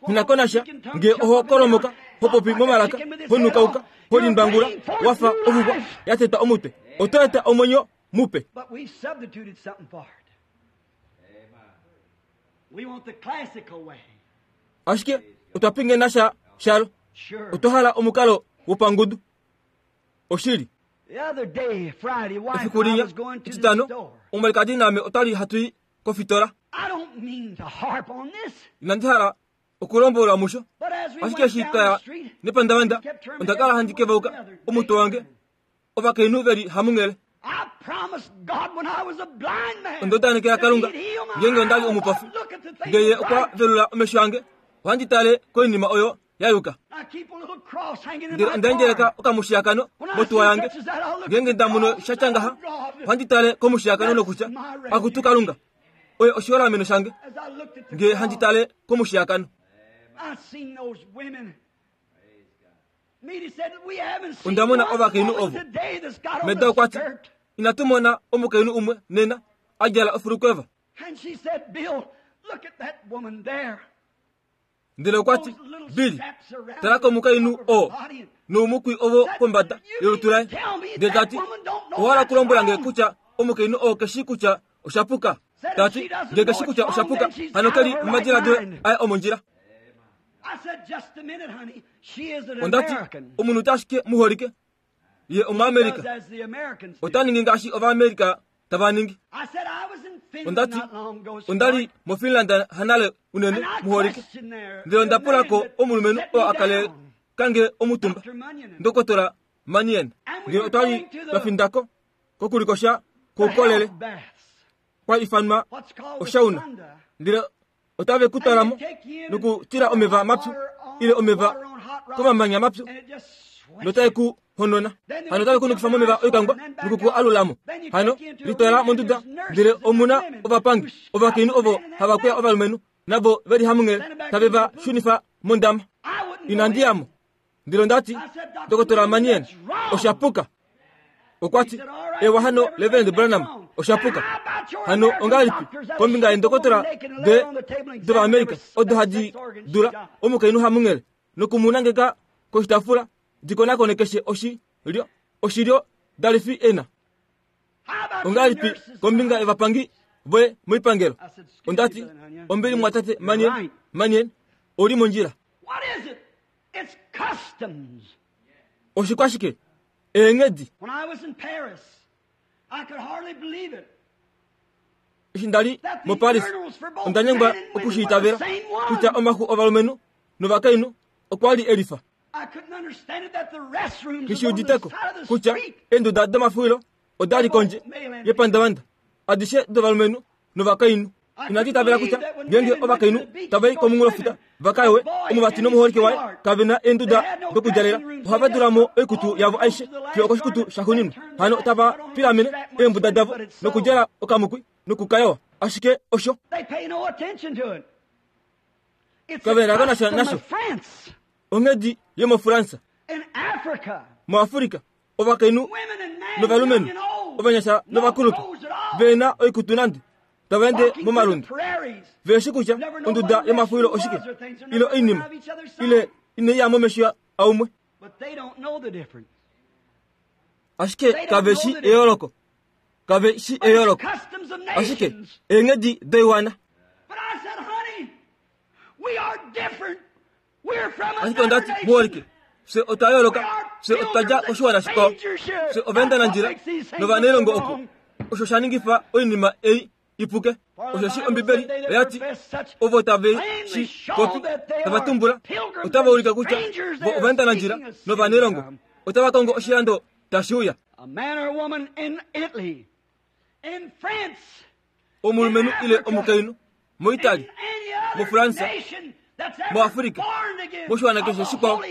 Nghi ko nasha nge oho kolomoka, ho popi momalaka, ho nukauka, ho limbangula wa fa oxuxwa ya tetwa omutwe, oto eta omwenyo mupe. Ashike otwa pingena sha shalo. Otwa hala omukalo wopangudu. Oshili. Efiku linya, Etitano, omwalikadi naame otwa li hatu i kofitola. Inandi hala okulombwelwa musho, ashike eshi twa ya nepandavanda, onda kala handi kevauka omutwe wange, ovakainhu ve li hamunghele. Onda udanekela Kalunga, ngeenge onda li omupofi, nge Ye okwa velula omesho ange, ohandi tale koinima oyo ya yuka. Ndele onda endjeleka okamushiyakano motuwa yange. Ngeenge nda mono sha tya ngaha, ohandi tale komushiyakano nokutya, Akutu Kalunga, oye oshiholameno shange, nge handi tale komushiyakano. Onda mona ovakainhu ovo. Meda okwa ti, Inatu mona omukainhu umwe nena a djala ofulukweva. Ndele okwa ti, Billy, tala komukainhu oo noumukwi ovo kombada yolutu laye. Ndele ta ti, Owa hala okulombwela nge kutya omukainhu oo ke shii kutya osha puka? Ta ti, Nge ke shii kutya osha puka, hano ke li momadiladilo aye omondjila. Onda ti, Omunhu ta ashike muholike, ye Omuamerika. Ota ningi ngaashi Ovamerika tava ningi. Onda ti, Onda li moFinland hanale unene, muholike. Ndele onda pula ko omulumenhu oo a kale kange omutumba, Ndokotola Mannion. Ndele otwa li twa finda ko kokulikosha koukolele, kwa ifanwa oshauna. Ndele otave ku twala mo nokutila omeva mapyu ile omeva komamanya mapyu notae ku honona. Hano otave ku nukifa momeva oikangwa noku ku alula mo. Hano litwala monduda, ndele omu na ovapangi ovakainhu ovo hava kweya ovalumenhu navo ve li hamunghele tave va shunifa mondama. Inandi ya mo. Ndele onda ti, Ndokotola Mannion, osha puka. Okwa ti, Ewa hano, Reverend Branham, osha puka. Hano ongahelipi kombinga yeendokotola de dOvaamerica odo hadi dula omukainhu hamunghele noku mu nangeka koshitafula di konakone keshe oshilyo oshilyo dalifi e na? Ongahelipi kombinga yovapangi voye moipangelo? Onda ti, Ombili mumwatate Mannion, Mannion, ou li mondjila. It's customs. Oshikwashike? Eenghedi. When I was in Paris, I could hardly believe it. Eshi nda li moParis, onda nyengwa oku shi itavela kutya omaxu ovalumenhu novakainhu okwa li e lifa. I couldn't understand it that the restrooms Nghi was shi on the udite ko side of the kutya street. eenduda domafuwilo oda li kondje yepandavanda, adishe dovalumenhu novakainhu. Inandi itavela kutya ngeenge ovakainhu tava i komunghulofuta va ka yowe, omuvati nomuholike waye kave na eenduda dokudjalela, ohava dula mo oikutu yavo aishe fiyo okoshikutu shaxuuninwa. Hano tava pilamene eembuda davo nokudjala okamukwi noku ka yowa. Ashike osho. They pay no attention to it. It's Kave a na ko nasha custom nasho. of France. Onghedi yomoFransa. In Africa, MuAfrika, ovakainhu women and men, novalumenhu, young and old, ovanyasha no novakulupe, clothes at all, ve na oikutu nande, tava ende walking through the momalundu, prairies. ve shi kutya onduda yomafuwilo oshike, ile oinima, ile inai ya momesho aumwe. But they don't know the difference. Ashike kave shi eyooloko. Kave shi But it's eyooloko. customs of Ashike nations. eenghedi doiwana. But I said, honey, we are different. We're from Ashike onda another ti, nation. muholike, fye otwa yooloka, fye otwa dja koshiwana shikwao, fye ovaendanandjila novanailongo oko. Osho sha ningifa oinima ei i puke. Osheshi Ombibeli oya ti, Ovo tave shi popi, tava tumbula, otava ulike kutya vo ovaendanandjila novanailongo, otava kongo oshilando tashi uya. Omulumenhu ile omukainhu moItaly, moFransa, moAfrika, moshiwana keshe shikwao,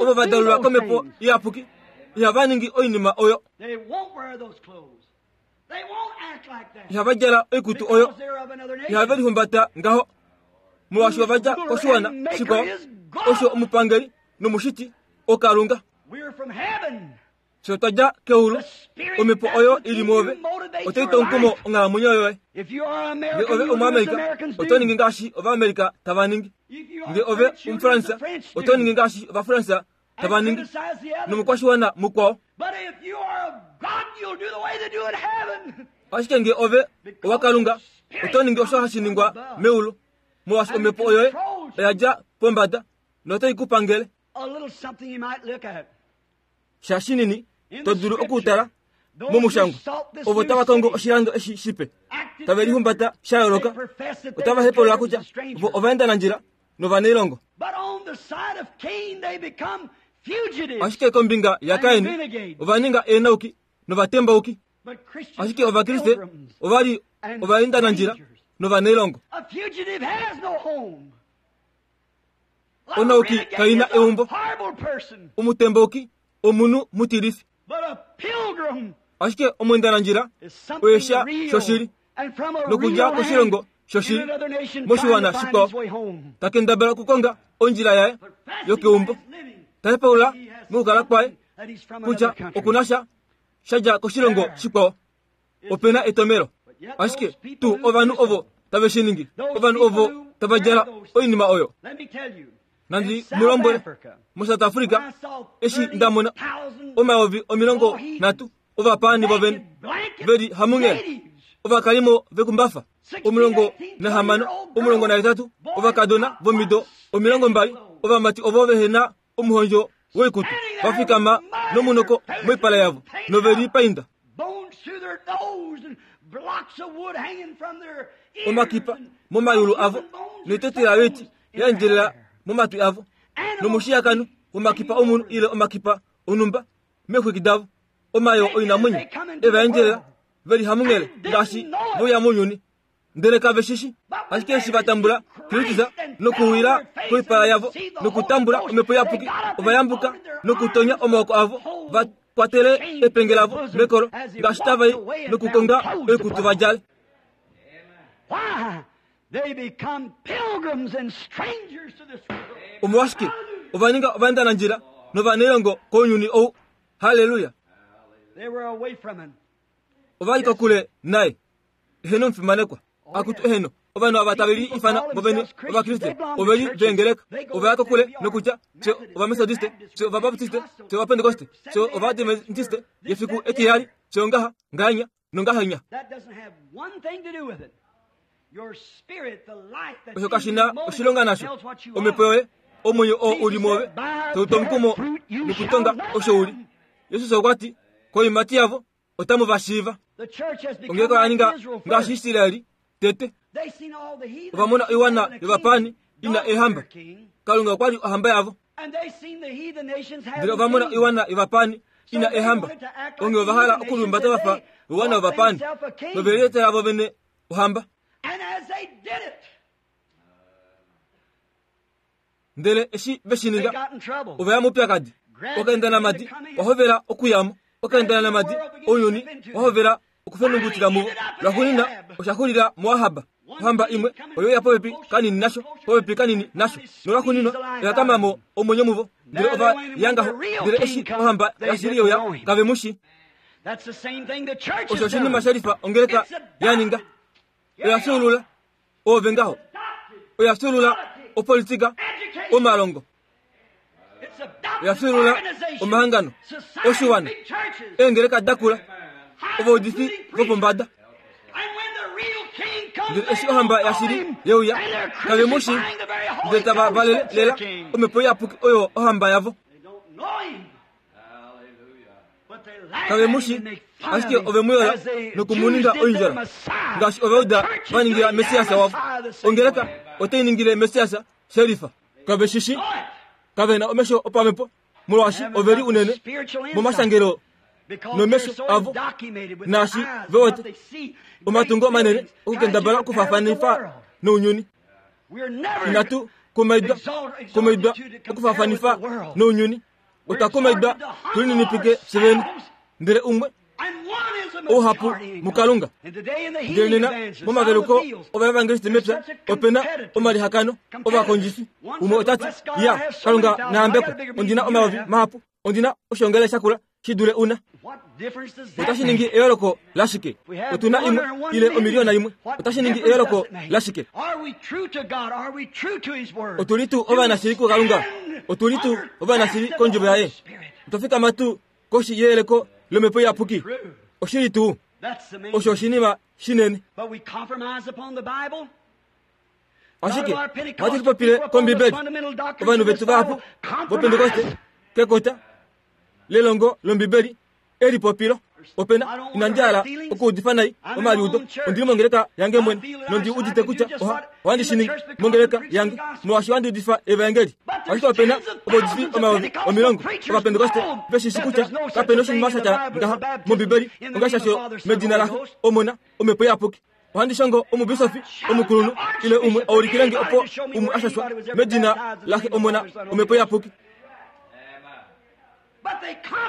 ovo va dalulwa komhepo iyapuki ihava ningi oinima oyo. Ihava djala oikutu oyo. Ihave lihumbata ngaho molwaashi ova dja koshiwana shikwao osho omupangeli nomushiti oKalunga. Fye otwa dja keulu. Omhepo oyo i li mwoove otai tu omukumo onghalamwenyo yoye. Nge ove Omuamerika, oto ningi ngaashi Ovamerika tava ningi. Nge ove Omufransa, oto ningi ngaashi Ovafransa tava ningi, nomukwashiwana mukwao. Ashike nge ove owaKalunga, oto ningi osho hashi ningwa meulu, molwaashi omhepo oyoye oya dja pombada notai ku pangele. Sha shinini to dulu okutala momushangwa, ovo tava kongo oshilando eshi shipe, tave lihumbata sha yooloka, otava hepolola kutya vo ovaendanandjila novanailongo. Ashike kombinga yaKain ova ninga eenauki novatembauki. Ashike Ovakriste ova li ovaendanandjila novanailongo. Onauki kai na eumbo. Omutembauki omunhu mutilifi. Ashike omwendanandjila oye sha shoshili nokudja koshilongo shoshili moshiwana shikwao, ta kendabala okukonga ondjila yaye yokeumbo, ta hepaulula mokukala kwaye kutya oku na sha sha dja koshilongo shikwao. Ope na etomelo. Ashike tuu ovanhu ovo tave shi ningi, ovanhu ovo tava djala oinima oyo. Nandi mu lombwele, moSouth Africa, eshi nda mona 30,000 ovapaani vovene ve li hamunghele, ovakalimo vekumbafa, 16, 18, ovakadona vomido 20, ovamati ovo vehe na omuhondjo woikutu, va fikama nomunoko moipala yavo nove li painda. Omakipa momayulu avo noitetela yoiti ya endjelela momatwi avo, nomushiyakano womakipa omunhu ile omakipa onhumba meexwiki davo, omayoo oinamwenyo e va endjelela ve li hamunghele ngaashi voya mounyuni. Ndele kave shi shi, ashike eshi va tambula Kristus nokuwila koipala yavo nokutambula Omhepo Iyapuki, ova yambuka nokutonya omaoko avo va kwatele epenge lavo mekolo ngaashi tava i nokukonga oikutu va djale. Omolwashike ova ninga ovaendanandjila novanailongo kounyuni ou? Halleluya! Ova li kokule naye. Eheno omufimanekwa. Akutu eheno, ovanhu ava tave li ifana vovene Ovakriste, ove li veengeleka. Ova ya kokule nokutya, Fye Ovametodiste, fye Ovabaptiste, fye Ovapentekoste, fye Ovaadventiste yefiku etiheyali, fye ongaha, ngahenya, nongahenya. Osho kashi na oshilonga nasho. Omhepo yoye, omwenyo oo u li mwoove, tau tu omukumo nokutonga osho u li. Jesus okwa ti, Koiimati yavo otamu va shiiva. Ongeleka oya ninga ngaashi Israel tete. Ova mona oiwana yovapaani i na eehamba. Kalunga okwa li ohamba yavo. Ndele ova mona oiwana yovapaani i na eehamba. Onghee ova hala okulihumbata va fa oiwana yovapaani, nove lietela vo vene ohamba. Ndele eshi ve shi ninga, ova ya moupyakadi. Okaendanamadi wa hovela okuya mo. Okaendanamadi ounyuni wa hovela okufenungutila muvo. Lwaxuuninwa, osha xulila muAhab. Ohamba imwe oye uya popepi kanini nasho, popepi kanini nasho. Nolwaxuuninwa, oya kama mo omwenyo muvo. Ndele ova ya ngaho. Ndele eshi ohamba yashili ye uya, kave mu shii. Osho oshinima she lifa ongeleka ya ninga. Oya fyuulula. Oove ngaho. Oya fyuulula opolitika, omalongo. Oya fyuulula omahangano, oshiwana, eengeleka dakula, ovaudifi vopombada. Ndele eshi ohamba yashili ye uya, kave mu shii, ndele tava valele lela omhepo iyapuki oyo ohamba yavo. Kave mu shi, ashike ove mu yola noku mu ninga oindjola, ngaashi Ovauda va ningila Messias wavo. Ongeleka otai ningile Messias shelifa. Kave shi shi, kave na omesho opamhepo, molwaashi ove li unene momashangelo. Nomesho avo naashi ve wete omatungo manene okukendabala okufaafanifa nounyuni. Inatu kumaidwa kumaidwa okufaafanifa nounyuni. Otwa kumaidwa tu lininipike fye vene. Ndele umwe ouhapu muKalunga. Ndele nena momaveluko ovaevangeliste mepya ope na omalihakano ovakondjifi. Umwe ota ti, Ya, Kalunga na yambekwe, ondi na omayovi mahapu, ondi na oshoongalele shakula shi dule una. Otashi ningi eyooloko lashike? Otu na imwe ile omiliyona imwe. Otashi ningi eyooloko lashike? Otu li tuu ovanashili kuKalunga? Otu li tuu ovanashili kondjovo yaye? Otwa fikama tuu koshi yeyeleko lomhepo iyapuki? Oshili tuu? Osho oshinima shinene. Ashike ohatu lipopile kOmbibeli. Ovanhu vetu vahapu vOpentekoste kekota lelongo lOmbibeli elipopilo. Ope na, inandi hala okuudifa nai omaliudo. Ondi li mongeleka yange mwene, nondi udite kutya oha, ohandi shi ningi mongeleka yange, molwaashi ohandi udifa Evaengeli. Ashike ope na ovaudifi 10,000 Ovapentekoste ve shi shi kutya kape na oshinima sha tya ngaha mOmbibeli ongashasho medina laXe, Omona, Omhepo Iyapuki. Ohandi shongo omubisofi omukulunhu ile umwe a ulikile nge opo umwe a shashwa medina laXe, Omona, Omhepo Iyapuki.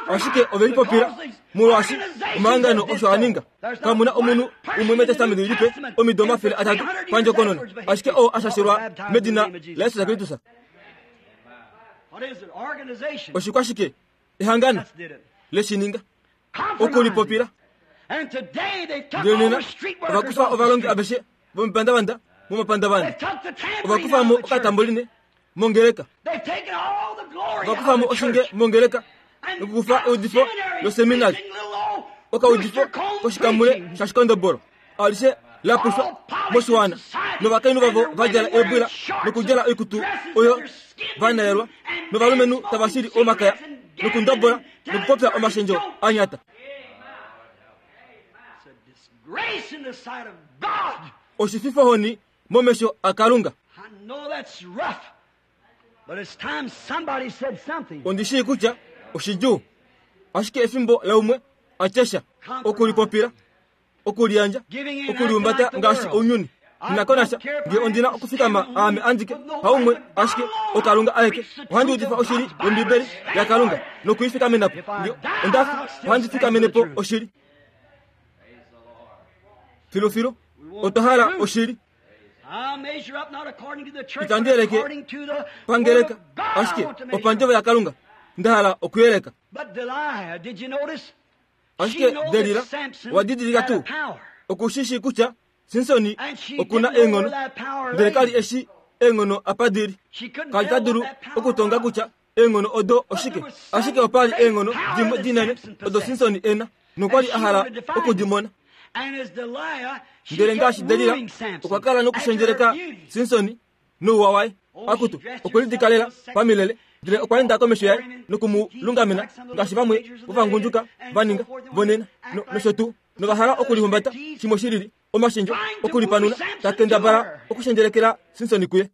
Ashike ove lipopila molwaashi omahangano osho a ninga. Kamu na omunhu umwe mEtestamenti Lipe omido 300 pandjokonona ashike oo a shashelwa medina laJesus Kristus. Oshikwashike ehangano le shi ninga? Okulipopila. Ndele nena ova kufa ovalongi aveshe vomepandavanda momapandavanda. Ova kufa mo okatamboline mongeleka. Ova kufa mo oshinge mongeleka nokukufa eudifo loseminari, okaudifo koshikamule shashikondobolo alishe la pushwa moshiwana, novakainhu vavo va djala eebwila nokudjala oikutu oyo va nayelwa, novalumenhu tava shili omakaya nokundobola nokupopya omashendjo a nyata. Oshififohoni momesho aKalunga. Ondi shii kutya oshidjuu, ashike efimbo laumwe a tye sha, okulipopila, okuliyandja, okulihumbata ngaashi ounyuni. Nghi ko nasha nge ondi na okufikama aame andike, haumwe ashike, oKalunga aeke. Ohandi udifa oshili yOmbibeli yaKalunga noku i fikamena po. Nge onda fi, ohandi fikamene po oshili. Filufilu, otwa hala oshili. Itandi yeleke pangeleka, ashike opandjovo yaKalunga nda hala okuyeleka. Ashike Delila owa didilika tuu oku shi shii kutya Simsoni oku na eenghono, ndele ka li e shii eenghono apa di li. Ka li ta dulu okutonga kutya eenghono odo oshike, ashike opa li eenghono dimwe dinene odo Simsoni e na, nokwa li a hala oku di mona. Ndele ngaashi Delila, okwa kala nokushendjeleka Simsoni nouwa waye. Akutu, okwe lidikalela pamilele, ndele okwa enda komesho yaye noku mu lungamena ngaashi vamwe vovangundjuka va ninga vonena nosho tuu, nova hala okulihumbata shimwe shi lili, omashendjo okulipanuna, ta kendabala okushendjelekela Simsoni kuye.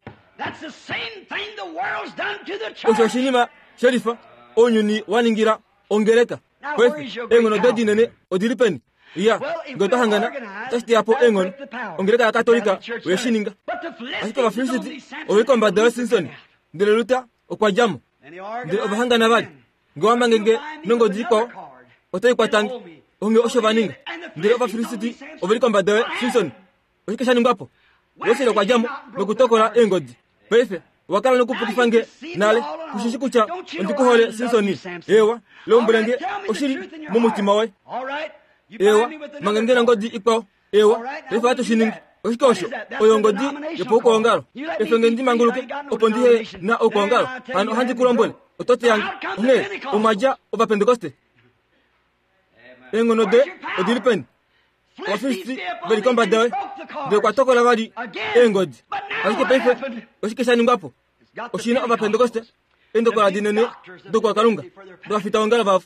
Osho oshinima shelifa ounyuni wa ningila ongeleka. Paife, eenghono doye dinene odi li peni? Iya, nge otwa hangana, otashi teya po eenghono. Ongeleka yaKatolika oye shi ninga. Ashike Ovafilisiti ove li kombada yaSimson, ndele Luther okwa dja mo. Ndele ova hangana vali. Nge owa mange nge nongodi ikwao, otai kwata nge. Onghee osho va ninga. Ndele Ovafilisiti ove li kombada yaSimson. Oshike sha ningwa po? Wesley okwa dja mo nokutokola eengodi. Paife, owa kala nokupukifa nge nale. Ku shi shi kutya ondi ku hole, Simsoni? Eewa, lombwele nge oshili momutima woye. Eewa, mange nge nongodi ikwao. Eewa, paife ohatu shi ningi. Oshike osho? Oyo ongodi yopaukwaongalo. Efe nge ndi manguluke, opo ndi he na oukwaongalo. Hano ohandi ku lombwele, oto teya nge. Onghee, omwa dja Ovapentekoste. Eenghono doye odi li peni? Ovafilisti ve li kombada yoye. Ndele okwa tokola vali eengodi. Ashike paife oshike sha ningwa po? Oshi na Ovapentekoste, eendokola dinene dokwakalunga dovafitaongalo vavo,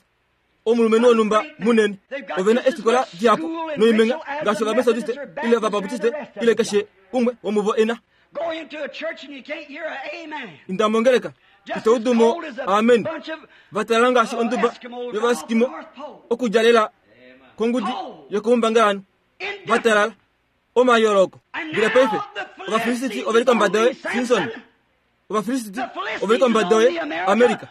omulumenhu wonhumba munene. Ove na eefikola dihapu noimenga ngaashi Ovametodiste ile Ovabaptiste ile keshe umwe womuvo e na. Inda mongeleka. Ito udu mo amen. Va talala ngaashi onduba yovaeskimo okudja lela kongudi yokoumbangalanhu. Va talala. Omayooloko. Ndele paife, Ovafilisiti ove li kombada yoye, Simson. Ovafilisiti ove li kombada yoye, Amerika.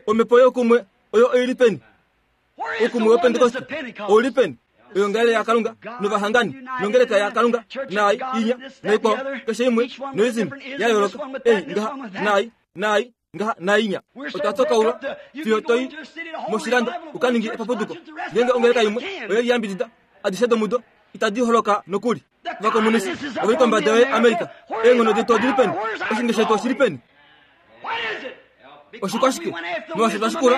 Omhepo youkumwe oyo oi li peni? Oukumwe wOpentekoste ou li peni? Oyoongalele yaKalunga novahangani nongeleka yaKalunga naai inya naikwao keshe imwe noism ya yooloka ei ngaha naai naai ngaha nainya. Otwa tokaulwa fiyo to i moshilando u ka ninge epapuduko. Ngeenge ongeleka imwe oye liyambidida adishe domudo itadi holoka nokuli. Ovakomunisi ove li kombada yoye Amerika. Eenghono detu odi li peni? Oshinge shetu oshi li peni? Oshikwashike molwaashi otwa shikula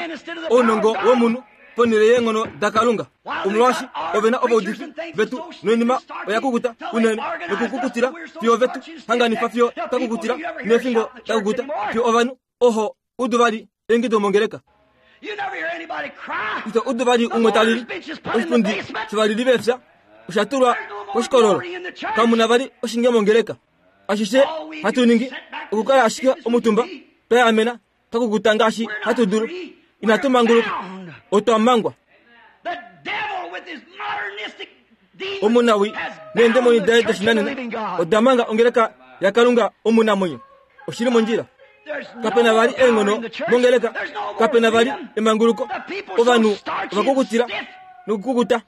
ounongo womunhu ponhele yeenghono daKalunga. Omolwaashi ove na ovaudifi vetu noinima oya kukuta unene nokukukutila fiyo vetu hanganifa fiyo twa kukutila neefingo da kukuta fiyo ovanhu oho udu vali eingido mongeleka. Ito udu vali umwe ta lili. Oshipundi shovalili veefya osha tulwa koshikololo. Kamu na vali oshinge mongeleka. Ashishe hatu ningi okukala ashike omutumba twa yaamena twa kukuta ngaashi hatu dulu. Inatu manguluka, otwa mangwa. Omunawii neendemoni daye doshinanena oda manga ongeleka yaKalunga omunamwenyo. Oshi li mondjila. Kape na vali eenghono mongeleka, kape na vali emanguluko. Ovanhu ova kukutila nokukukuta.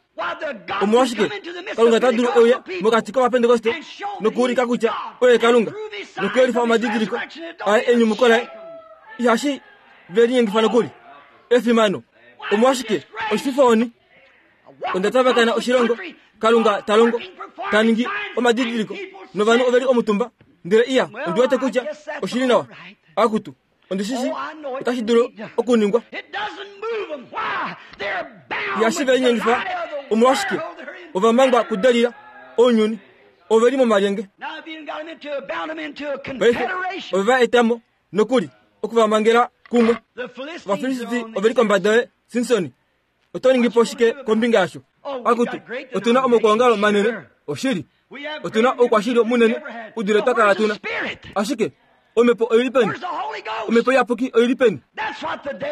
Omolwashike Kalunga ta dulu euya mokati kOvapentekoste nokuulika kutya oye Kalunga nokuyelifa omadidiliko aye enyumuko laye? Ihashi ve linyengifa nokuli. Efimano! Omolwashike oshififohoni? Onda tavakana oshilongo, Kalunga ta longo, ta ningi omadidiliko, novanhu ove li omutumba, ndele iya, ondi wete kutya oshi li nawa. Akutu, ondi shi shii otashi dulu okuningwa. Ihashi ve linyengifa. Omolwashike? Ova mangwa kuDelila, ounyuni. Ove li momalyenge. Paife ove va eta mo, nokuli, oku va mangela kumwe. Ovafilisiti ove li kombada yoye, Simsoni. Oto ningi po shike kombinga yasho? Akutu, otu na omaukwaongalo manene, oshili. Otu na oukwashili munene u dule twa kala tu na. Ashike Omhepo oi li peni? Omhepo Iyapuki oi li peni?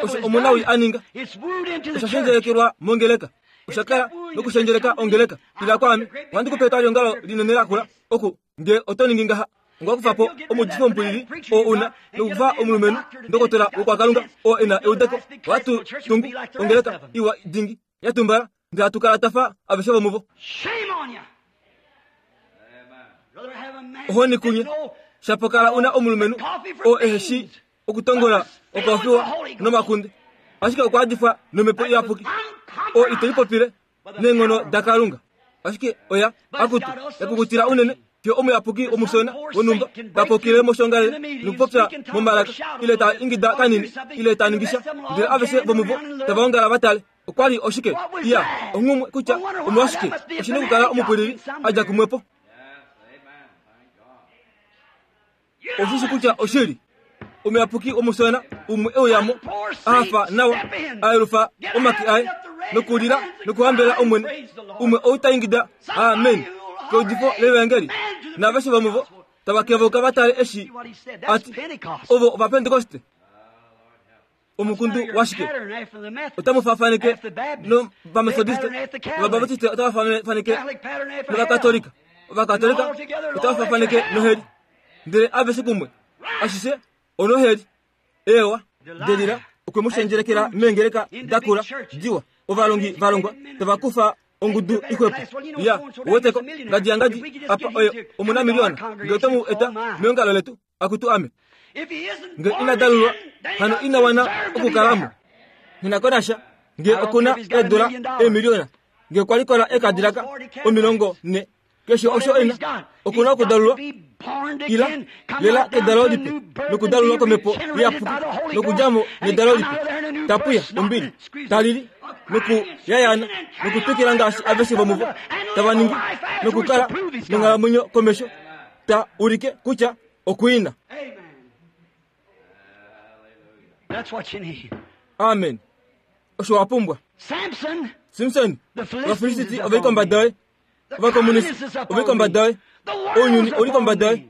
Osho omunawii a ninga osha shendjelekelwa mongeleka. Osha kala nokushendjeleka ongeleka. Ila kwaame, ohandi ku pe etwaliongalo linene lakula oku Nge oto ningi ngaha, onga kufa po omuudifi womupwilili oo u na nokufa omulumenhu ndokotola wokwakalunga oo e na eudeko, ohatu tungu ongeleka iwa dingi ya tumbala ndele hatu kala twa fa aveshe vomuvo. Ohoni kunye, shapo kala u na omulumenhu oo ehe shii okutongola okofiwa nomakunde, ashike okwa adifwa nomhepo iyapuki oo ite lipopile neenghono daKalunga. Ashike oya, akutu, ya kukutila unene fiyo omuyapuki omushona wonhumba ta popile moshongalele nokupopya momalaka ile ta ingida kanini ile ta ningi sha, ndele aveshe vomuvo tava ongala va tale. Okwa li oshike? Iya, onghumwe kutya omolwashike oshi na okukala omupwilili a dja kumwe po. Oshi shi kutya oshili. Omuyapuki omushona umwe e uya mo, a hafa nawa, a yelufa omake aye nokulila nokuhambela Omwene. Umwe ou ta ingida amen keudifo lEvangeli, naaveshe vomuvo tava kevoka va tale eshi a ti, Ovo Ovapentekoste. Omukundu washike? Otamu faafaneke nOvametodiste, Ovabautiste otava faafaneke nOvakatolika, Ovakatolika otava faafaneke noheli, ndele aveshe kumwe, ashishe onoheli. Eewa, Delila okwe mu shendjelekela meengeleka da kula diwa, ovalongi va longwa tava kufa ongudu ixwepo. Ya, uweteko, ngadi yangadi apa oye omunamiliona, nge oto mu eta meongalo letu. Akutu ame, nge ina dalulwa, hano ina wana okukala mo. Nghi ko nasha nge oku na eedula eemiliona, nge okwa likola eekadilaka 40, keshe osho e na, oku na okudalulwa ila lela kedalo lipe nokudalulwa komhepo iyapuki nokudja mo nedalo lipe, ta pwiya ombili, ta lili nokuyayaana nokutwikila ngaashi aveshe vomuvo tava ningi nokukala nonghalamwenyo komesho. ta ulike kutya okuina. Amen. Osho wa pumbwa. Simson, Ovafilisiti ove li kombada yoye. Ovakomunisi ove li kombada yoye. Ounyuni ou li kombada yoye.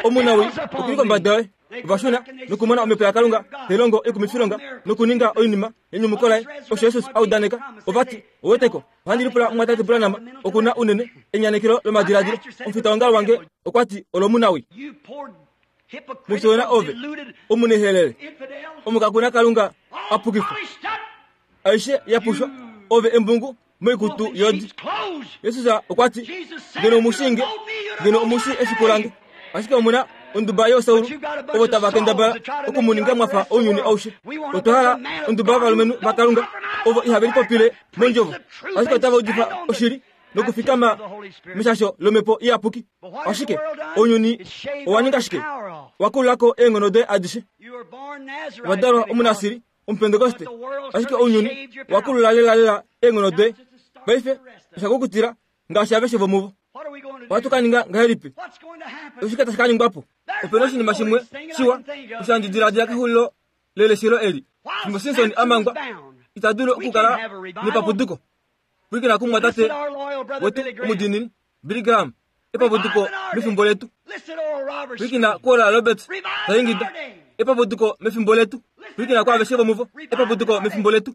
Omunawii oku li kombada yoye. Ova shuna nokumona Omhepo yaKalunga tai longo oikumifilonga nokuninga oinima yenyumuko laye, osho Jesus a udaneka. Ova ti, Ouweteko, ohandi lipula Mumwatate Branham oku na unene enyanekelo lomadiladilo. Omufitaongalo wange okwa ti olomunawi. Mufyoona ove, omunehelele, omukakuna Kalunga a pukifwa. Aishe ya pushwa, ove embungu moikutu yodi. Jesus okwa ti, Ngeno omu shii nge, ngeno omu shii efiku lange. Ashike omu na onduba yoosaulu ovo tava kendabala oku mu ninga mwa fa ounyuni aushe. Otwa hala onduba yovalumenhu vaKalunga ovo ihave lipopile mondjovo, ashike otava udifa oshili nokufikama meshasho lomhepo iyapuki. Ashike ounyuni owa ninga shike? Wa kulula ko eenghono doye adishe. Wa dalwa Omunasiri, Omupentekoste, ashike ounyuni wa kulula lelalela eenghono doye. Paife osha kukutila ngaashi aveshe vomuvo. Ohatu ka ninga ngahelipi? Oshike tashi ka ningwa po? Ope na oshinima shimwe shiwa osho handi diladila kexulilo leleshelo eli. Fimbo Simson a mangwa, ita dulu okukala nepapuduko. Pwilikina kumumwatate wetu omudiinini, Billy Graham, epapuduko mefimbo letu. Pwilikina kuOral Roberts ta ingida, epapuduko mefimbo letu. Pwilikina kwaaveshe vomuvo, epapuduko mefimbo letu.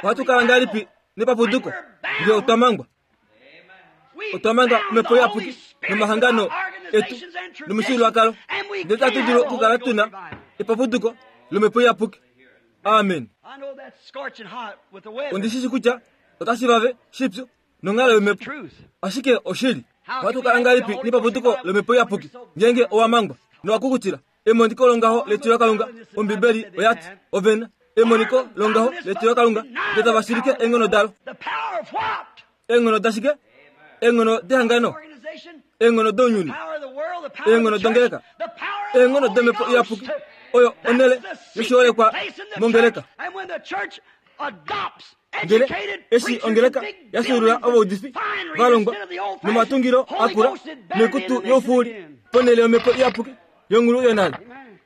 Ohatu kala ngahelipi nepapuduko ngee otwa mangwa? Otwa manga omhepo iyapuki nomahangano etu nomifyuululwakalo, ndele tatu dulu okukala tu na epapuduko lomhepo iyapuki. Amen. Ondi shi shi kutya otashi vave shipyu nonghalo yomhepo, ashike oshili. Ohatu kala ngahelipi nepapuduko lomhepo iyapuki ngeenge owa mangwa nowa kukutila Emoniko longaho letilokalunga. Ombibeli oya ti, Ove na emoniko longaho letilokalunga, ndele tava shilike eenghono dalo. Eenghono dashike? Eenghono dehangano? Eenghono dounyuni? Eenghono dongeleka? Eenghono domhepo iyapuki oyo onhele yoshiholekwa mongeleka. Ndele eshi ongeleka ya fyuulula ovaudifi va longwa nomatungilo akula noikutu youfuuli ponhele yomhepo iyapuki yongulu yonale,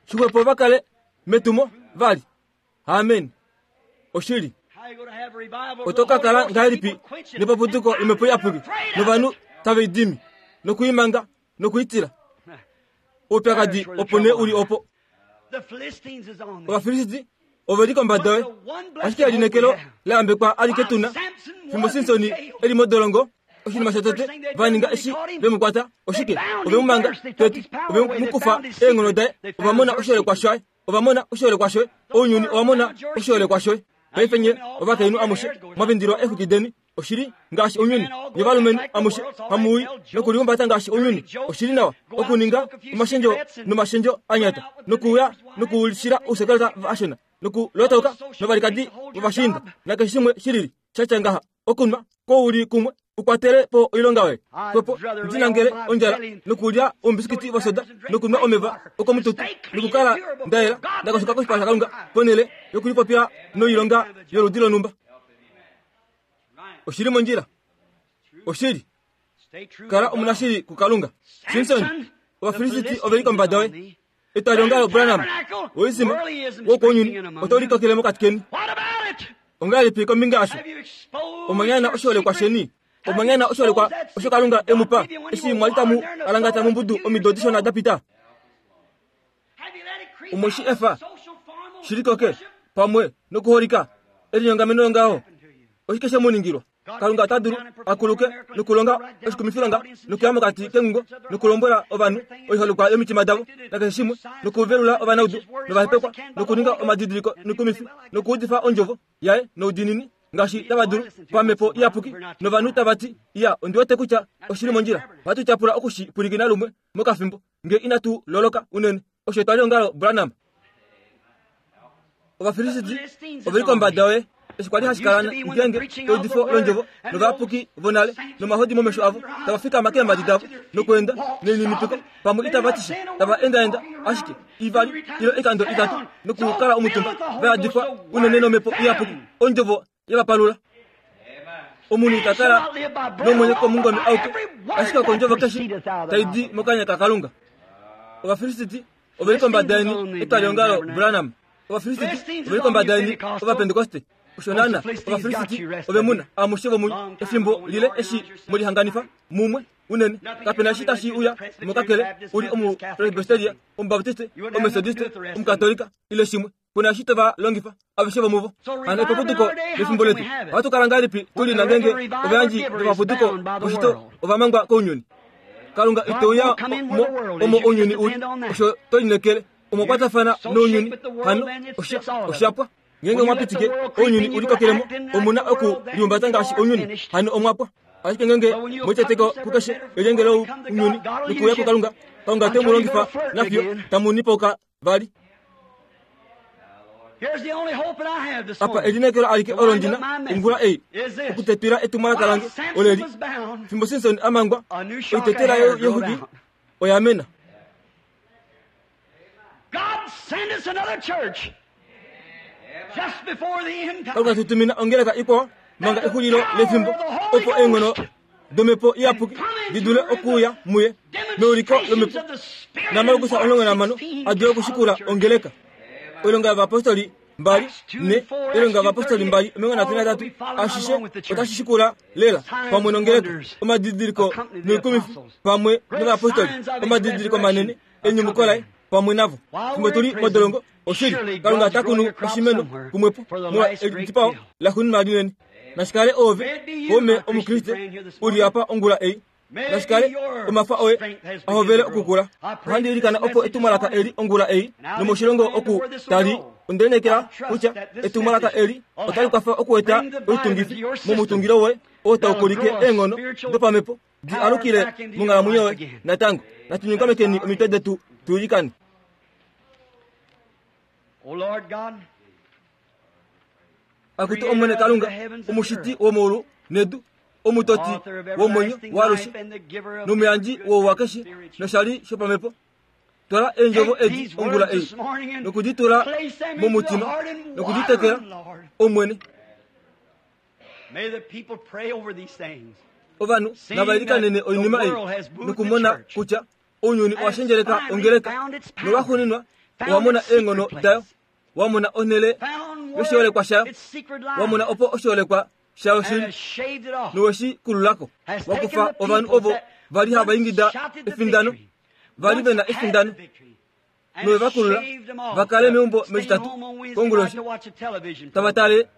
shixwepo va kale metumo vali. Amen. Oshili. Oto ka kala ngahelipi nepapuduko lomhepo iyapuki novanhu tave i dimi noku i manga noku i tila? Oupyakadi opo nee u li opo. Ovafilisti ove li kombada yoye, ashike elineekelo la yambekwa alike tu na. Fimbo Simsoni e li modolongo, oshinima shotete va ninga eshi ve mu kwata oshike? Ove mu manga tete, ove mu kufa eenghono daye, ova mona oshiholekwa shaye, ova mona oshiholekwa shoye, ounyuni owa mona oshiholekwa shoye. Paife nye ovakainhu amushe mwa vindilwa eexwiki deni, oshili ngaashi ounyuni. Nye ovalumenhu amushe hamu i nokulihumbata ngaashi ounyuni, oshili nawa okuninga omashendjo nomashendjo a nyata, nokuuya nokulishila ousekeleta vashona, nokulotauka novalikadi vovashiinda, nakeshe shimwe shilili sha tya ngaha, okunwa kouli kumwe u kwatele po oilonga yoye. Xwepo ndi nangele ondjala nokulya oumbisikiti vosoda nokunwa omeva okomututu nokukala nda yela nda koshoka koshipala shaKalunga ponhele yokulipopila noilonga yoludi lonhumba. Oshili mondjila. Oshili. Kala omunashili kuKalunga. Simson, Ovafilisiti ove li kombada yoye. Etwaliongalo Branham, woisima wokounyuni otau litokele mokati keni. Ongahelipi kombinga yasho? Omwa nyana oshiholekwa sheni. Omwa nyana oshiholekwa osho Kalunga e mu pa eshi mwa li tamu alangata mombudu omido dishona da pita. Omwe shi efa shi likoke pamwe nokuholika elinyongameno longaho. Oshike she mu ningilwa? Kalunga ota dulu a kuluke nokulonga oshikumifilonga nokuya mokati kengungo nokulombwela ovanhu oiholekwa yomitima davo nakeshe shimwe nokuvelula ovanaudu novahepekwa nokuninga omadidiliko noikumifi nokuudifa ondjovo yaye noudiinini ngaashi tava dulu pamhepo iyapuki novanhu tava ti, Iya, ondi wete kutya oshi li mondjila. Ohatu tyapula oku shi pwilikina lumwe mokafimbo nge inatu loloka unene. Osho etwaliongalo Branham. Ovafilisiti ove li kombada yoye. Eshi kwa li hashi kala ngeenge eudifo londjovo novayapuki vonale nomahodi momesho avo tava fikama keemhadi davo nokweenda nelininipiko pamwe itava ti sha tava endaenda ashike ivali ile oikando itatu nokukala omutumba va yadifwa unene nomhepo iyapuki ondjovo ye va palula. Omunhu ita kala nomwenyo komungome auke, ashike okondjovo keshe tai di mokanya kaKalunga. Ovafilisiti ove li kombada yeni, etwaliongalo Branham. Ovafilisiti ove li kombada yeni, Ovapentekoste. Osho naana, Ovafilisiti ove mu na amushe vomunye efimbo lile eshi mwe lihanganifa mumwe. unene. Kape na eshi tashi uya mo kakele u li Omupresbyteria, Omubaptiste, Ometodiste, Omukatolika ile shimwe. Ku na eshi to va longifa aveshe vomuvo. Hano epapuduko lefimbo letu ohatu kala ngahelipi tu li na ngeenge ovayandji vomapuduko voshito ova mangwa kounyuni? Kalunga ite uya mo omo ounyuni u li, osho to lineekele. Omwa kwatafana nounyuni, hano osha, osha pwa. Ngeenge omwa pitike ounyuni u likokele mo, omu na oku lihumbata ngaashi ounyuni, hano omwa pwa. Ashike ngeenge mwe liteteka kukeshe elyenge lounyuni nokuuya kuKalunga, Kalunga ote mu longifa nafiyo tamu nipauka vali. Apa elineekelo alike olo ndi na ongula ei okutetwila etumwalaka lange oleli, fimbo Simson a mangwa, oitetela yoxwiki oya mena. Kalunga tu tumina ongeleka ikwao manga exulilo lefimbo opo eenghono domhepo iyapuki di dule okuuya muye meuliko lomhepo naMarkus 15 a dule okushikula ongeleka. Oilonga yovapostoli 2 ne Oilonga yOvapostoli 2 33 ashishe otashi shikula lela pamwe nongeleka omadidiliko noikumifi pamwe novapostoli omadidiliko manene enyumuko laye pamwe navo fimbo tu li modolongo oshili kalunga ota kunu oshimeno kumwepo molwa elidipao laxuuninwa linene nashi kale oove kaume omukriste u li apa ongula ei Nashi kale omafa oye a hovele okukula. Ohandi ilikana opo etumwalaka eli ongula ei nomoshilongo oku tali onde lineekela kutya etumwalaka eli otali kwafa okueta oitungifi momutungilo woye oo tau kulike eenghono dopamhepo di alukile monghalamwenyo yoye natango. Natu nyongamekeni omitwe detu tu ilikane. Akutu Omwene Kalunga, omushiti womaulu nedu, omutoti womwenyo waalushe nomuyandji wouwa keshe noshali shopamhepo, twala eendjovo edi ongula ei noku di tula momutima noku di tekela, Omwene. Ovanhu nava ilikanene oinima ei nokumona kutya ounyuni owa shendjeleka ongeleka nolwaxuuninwa owa mona eenghono dayo wa mona onhele yoshiholekwa shayo, wa mona opo oshiholekwa shayo shili, nowe shi kulula ko. Wa kufa ovanhu ovo va li hava ingida efindano, va li ve na efindano, nowe va kulula va kale meumbo mEtitatu konguloshi tava tale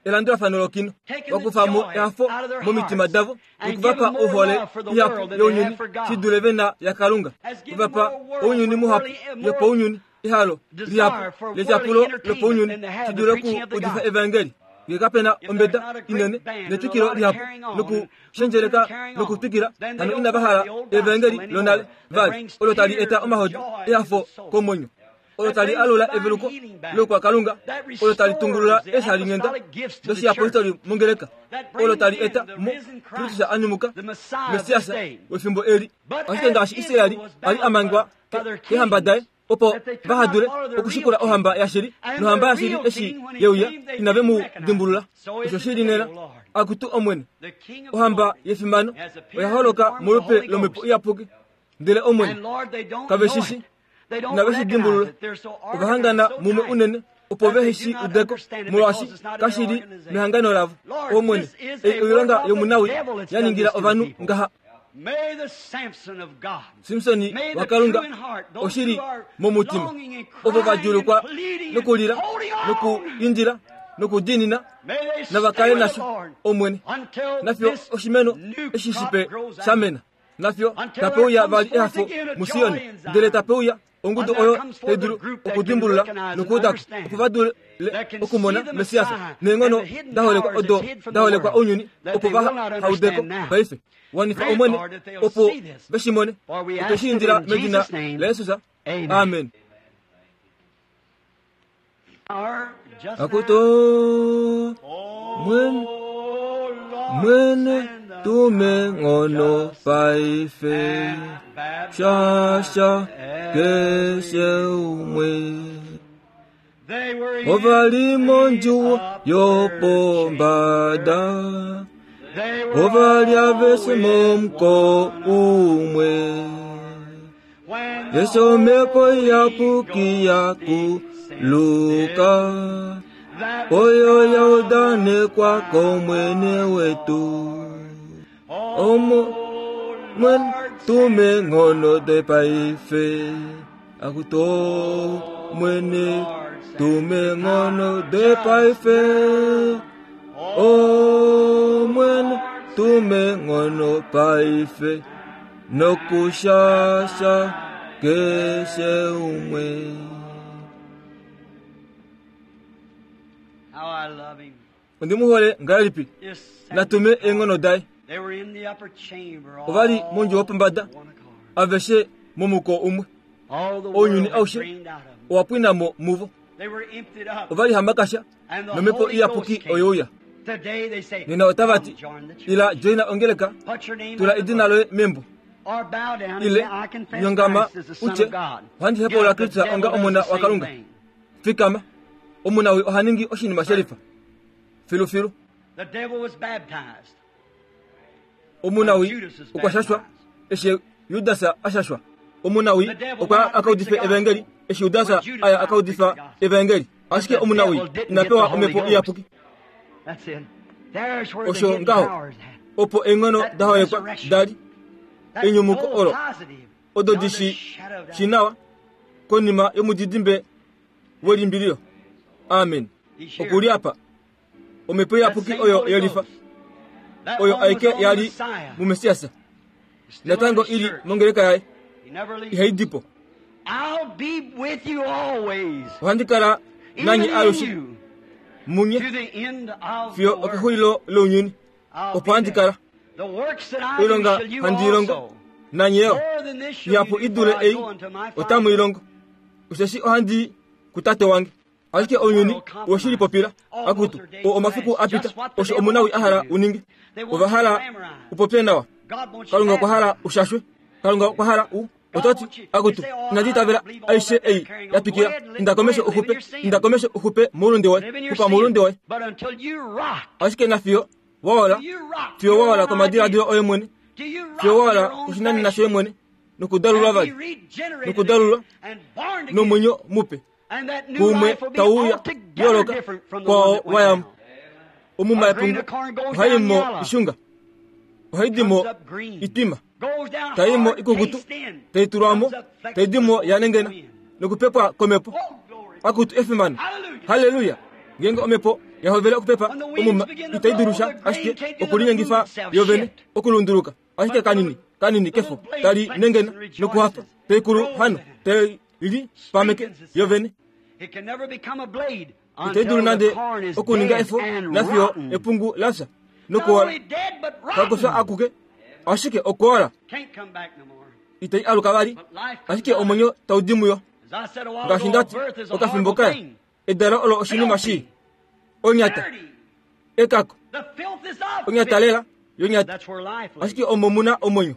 elandulafano lokino, wa kufa mo ehafo momitima davo noku va pa ohole ihapu younyuni shi dule ve na yaKalunga, we va pa ounyuni muhapu yopaunyuni, ehalo lihapu letyapulo lopaunyuni shi dule okuudifa evaengeli. Nge kape na ombeda inene netwikilo lihapu nokushendjeleka nokutwikila, hano inava hala evaengeli lonale vali olo tali eta omahodi ehafo komwenyo. olo tali alula eveluko loukwakalunga, olo tali tungulula eeshalinghenda doshiyapostoli mongeleka, olo tali eta mo Kristus a nyumuka, Messias wefimbo eli. Ashike ngaashi Israel a li a mangwa keehamba daye, opo vaha dule okushikula ohamba yashili, nohamba yashili eshi ye uya, inave mu dimbulula. Osho shi li nena, Akutu Omwene, ohamba yefimano oya holoka molupe lOmhepo Iyapuki, ndele Omwene, kave shi shi. Inave shi dimbulula. Ova hangana mumwe unene opo vehe shi ude ko, molwaashi kashi li mehangano lavo. Omwene, ei oilonga yomunawii ya ningila ovanhu ngaha. Simsoni waKalunga oshi li momutima. Ovo va djuulukwa nokulila nokuindila nokudiinina nava kale nasho, Omwene, nafiyo oshimeno eshi shipe sha mena. Nafyo tape uya vali ehafo muSion, ndele tape uya ongudu oyo tai dulu okudimbulula nokuuda ko, opo va dule okumona Messias neenghono da holekwa odo da holekwa ounyuni, opo va ha ude ko paife. Wanifa Omwene, opo ve shi mone. Otwe shi indila medina laJesus. Amen. Akutu mwene, mwene tume nghono paife shasha keshe umwe ova li mondjuwo yopombada ova li aveshe momuko umwe Eshi omhepo iyapuki ya kuluka, oyo ya udanekwa kOmwene wetu. Omo Mwene, tume nghono doye paife. Akuto Mwene, tume nghono doye paife. O Mwene, tume nghono paife. Nokushasha keshe umwe. How I love him. Ondi mu hole ngahelipi? Just Natume eenghono daye. They were in the upper chamber. Ova li all mondjuwo yopombada. one accord. Aveshe momuko umwe. All the Ounyuni world had aushe. drained out of them. Owa pwina mo muvo. They were emptied up. Ova li hamakasha And the nomhepo Holy iyapuki Ghost came. oyeuya. Today they say, Nena otava "Come ti, join the church. ila joina ongeleka, Put your name tula on the edina book. loye membo. Or bow down and Ile say, I confess nyongama Christ as the Son utye, of God. ohandi Get hepaula up, the Kristus devil onga does omona the same waKalunga. thing. Fikama, omunawi oha ningi oshinima shelifa. Filufilu, The devil was baptized. omunawi Judas is okwa shashwa eshi Judas a shashwa. Omunawi The devil okwa went out aka to preach udife the gospel. evangeli eshi Judas When Judas aya went out aka to preach udifa the gospel. evangeli. Ashike But the omunawi devil didn't ina get the pewa Holy omhepo Ghost. iyapuki. That's it. There's where the Osho hidden ngaho power is at. opo eenghono That da holekwa resurrection. dali That enyumuko full olo positive, odo beyond di a shi shadow of doubt. shi nawa konima yomudidimbe welimbililo. Amen. He's here. Okuli apa omhepo That iyapuki same oyo Holy yelifa Ghost. That oyo one was aike on the yali Messiah. mumesiasa Still in natango his ili church. mongeleka yaye He never leaves. ihai dipo. I'll be with you always, Ohandi kala even nanyi in alushe you, munye to the end of the fiyo world. okexulilo lounyuni. I'll Opo be handi there. kala The works that I do oilonga shall you handi ilongo also. nanye yo More than this shall you ihapu do, idule for I ei go unto my otamu Father. ilongo. Osheshi ohandi i kutate wange. Ashike ounyuni owe shi lipopila akutu o omafiku a pita osho omunawi a hala uninge. Ova hala upopye nawa. God wants you Kalunga okwa hala baptized. ushashwe. Kalunga okwa hala u ototi akutu inandi itavela aishe ei ya twikila. Inda komesho uxupe, inda komesho uxupe moulunde woye, Live in your xupa sin. moulunde woye. But until you rock, Ashike nafiyo waola, you rock fiyo your waola own komadiladilo idea. oye mwene, Do you rock fiyo waola your own koshinanena fashion? shoye mwene, nokudalulwa And be vali regenerated nokudalulwa and born again. nomwenyo mupe And that new kuumwe life will be tauya altogether yooloka different from the one kwao that went wayamo. down. Omuma A grain yepungu of corn goes ohayi down mo yellow, ishunga, ohayi di mo comes up green, itwima, goes down tayi mo hard, ikukutu, tastes in, tayi tulwa mo, comes up tayi di mo flexible ya nengena wind. nokupepwa komhepo. Oh, glory. Akutu efimano. Hallelujah. Haleluya. Ngeenge omhepo ya hovele okupepa When the winds omuma begin to itai blow, dulusha the grain ashike can't do okulinyengifa nothing but move itself. yovene Shift. okulunduluka ashike But the kanini little, kanini the kefo little blade tali flexes nengena and nokuhafa rejoices, taikulu grows hano in it, tai li pameke strengthens itself. yovene. It can never become a blade Itai until dulu the nande corn is okuninga dead efo and nafiyo rotten. epungu lafya Not nokuola only dead, but kakufya rotten. akuke ashike okuola Can't come back no more. itai aluka vali But life comes ashike out. omwenyo tau di muyo. As I said a while Ngaashi ago, ndati birth is a okafimbo horrible kaya thing. edalo olo oshinima shii Filthy. onyata Dirty. ekako The filth is of onyata filth. lela yonyata That's where life lives. ashike omo muna omwenyo.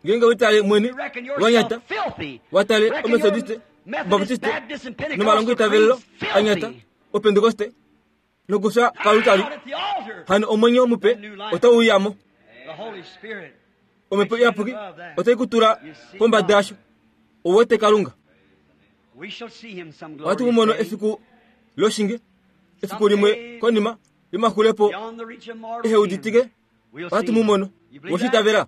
Ngeenge witale mwene You reckon wanyata yourself filthy. watale Reckon your omethodiste Methodist, baptiste Baptist, and nomalongo Pentecostal itavelelo creeds anyata filthy. opentekoste nokufya kalutali Out at the altar. hano omwenyo mupe otauyamo. The Holy Spirit Omhepo makes you iyapuki above that. otai kutula You see pombada God. yasho. Ouwete Kalunga. We shall see him some Ohatu mu glorious mono day. efiku loshinge efiku limwe Someday, konima yomaxulepo beyond the reach of mortal eheuditike ken, we'll ohatu see mu him. mono. You believe that? Woshitavela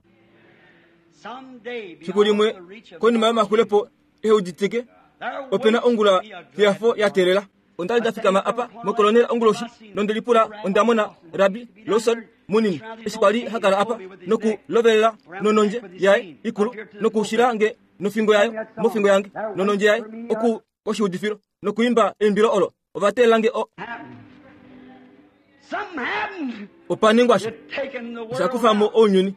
Someday, fiku beyond limwe the reach of konima mortal yomaxulepo ken, eheuditike there opena waits ongula me a glad yafo ya morrow. teelela. Onda li I nda stand fikama up on the apa corner mokolonela last night onguloshi I seen nonde lipula Ralph onda mona Lawson Rabi used to be down Lawson there munini surrounding eshi his kwali old ha kala cane apa told me with his noku neck lovelela around the nonondje neck with his yaye cane ikulu up here to the nokushila pulpit. nge nofingo Sang yayo that mofingo song. yange There waits nonondje yaye for me oku a koshiudifilo nokuimba eimbilo olo ova teelela nge o happened. Something happened. opa ningwa sha It taken the osha world kufa mo out. ounyuni.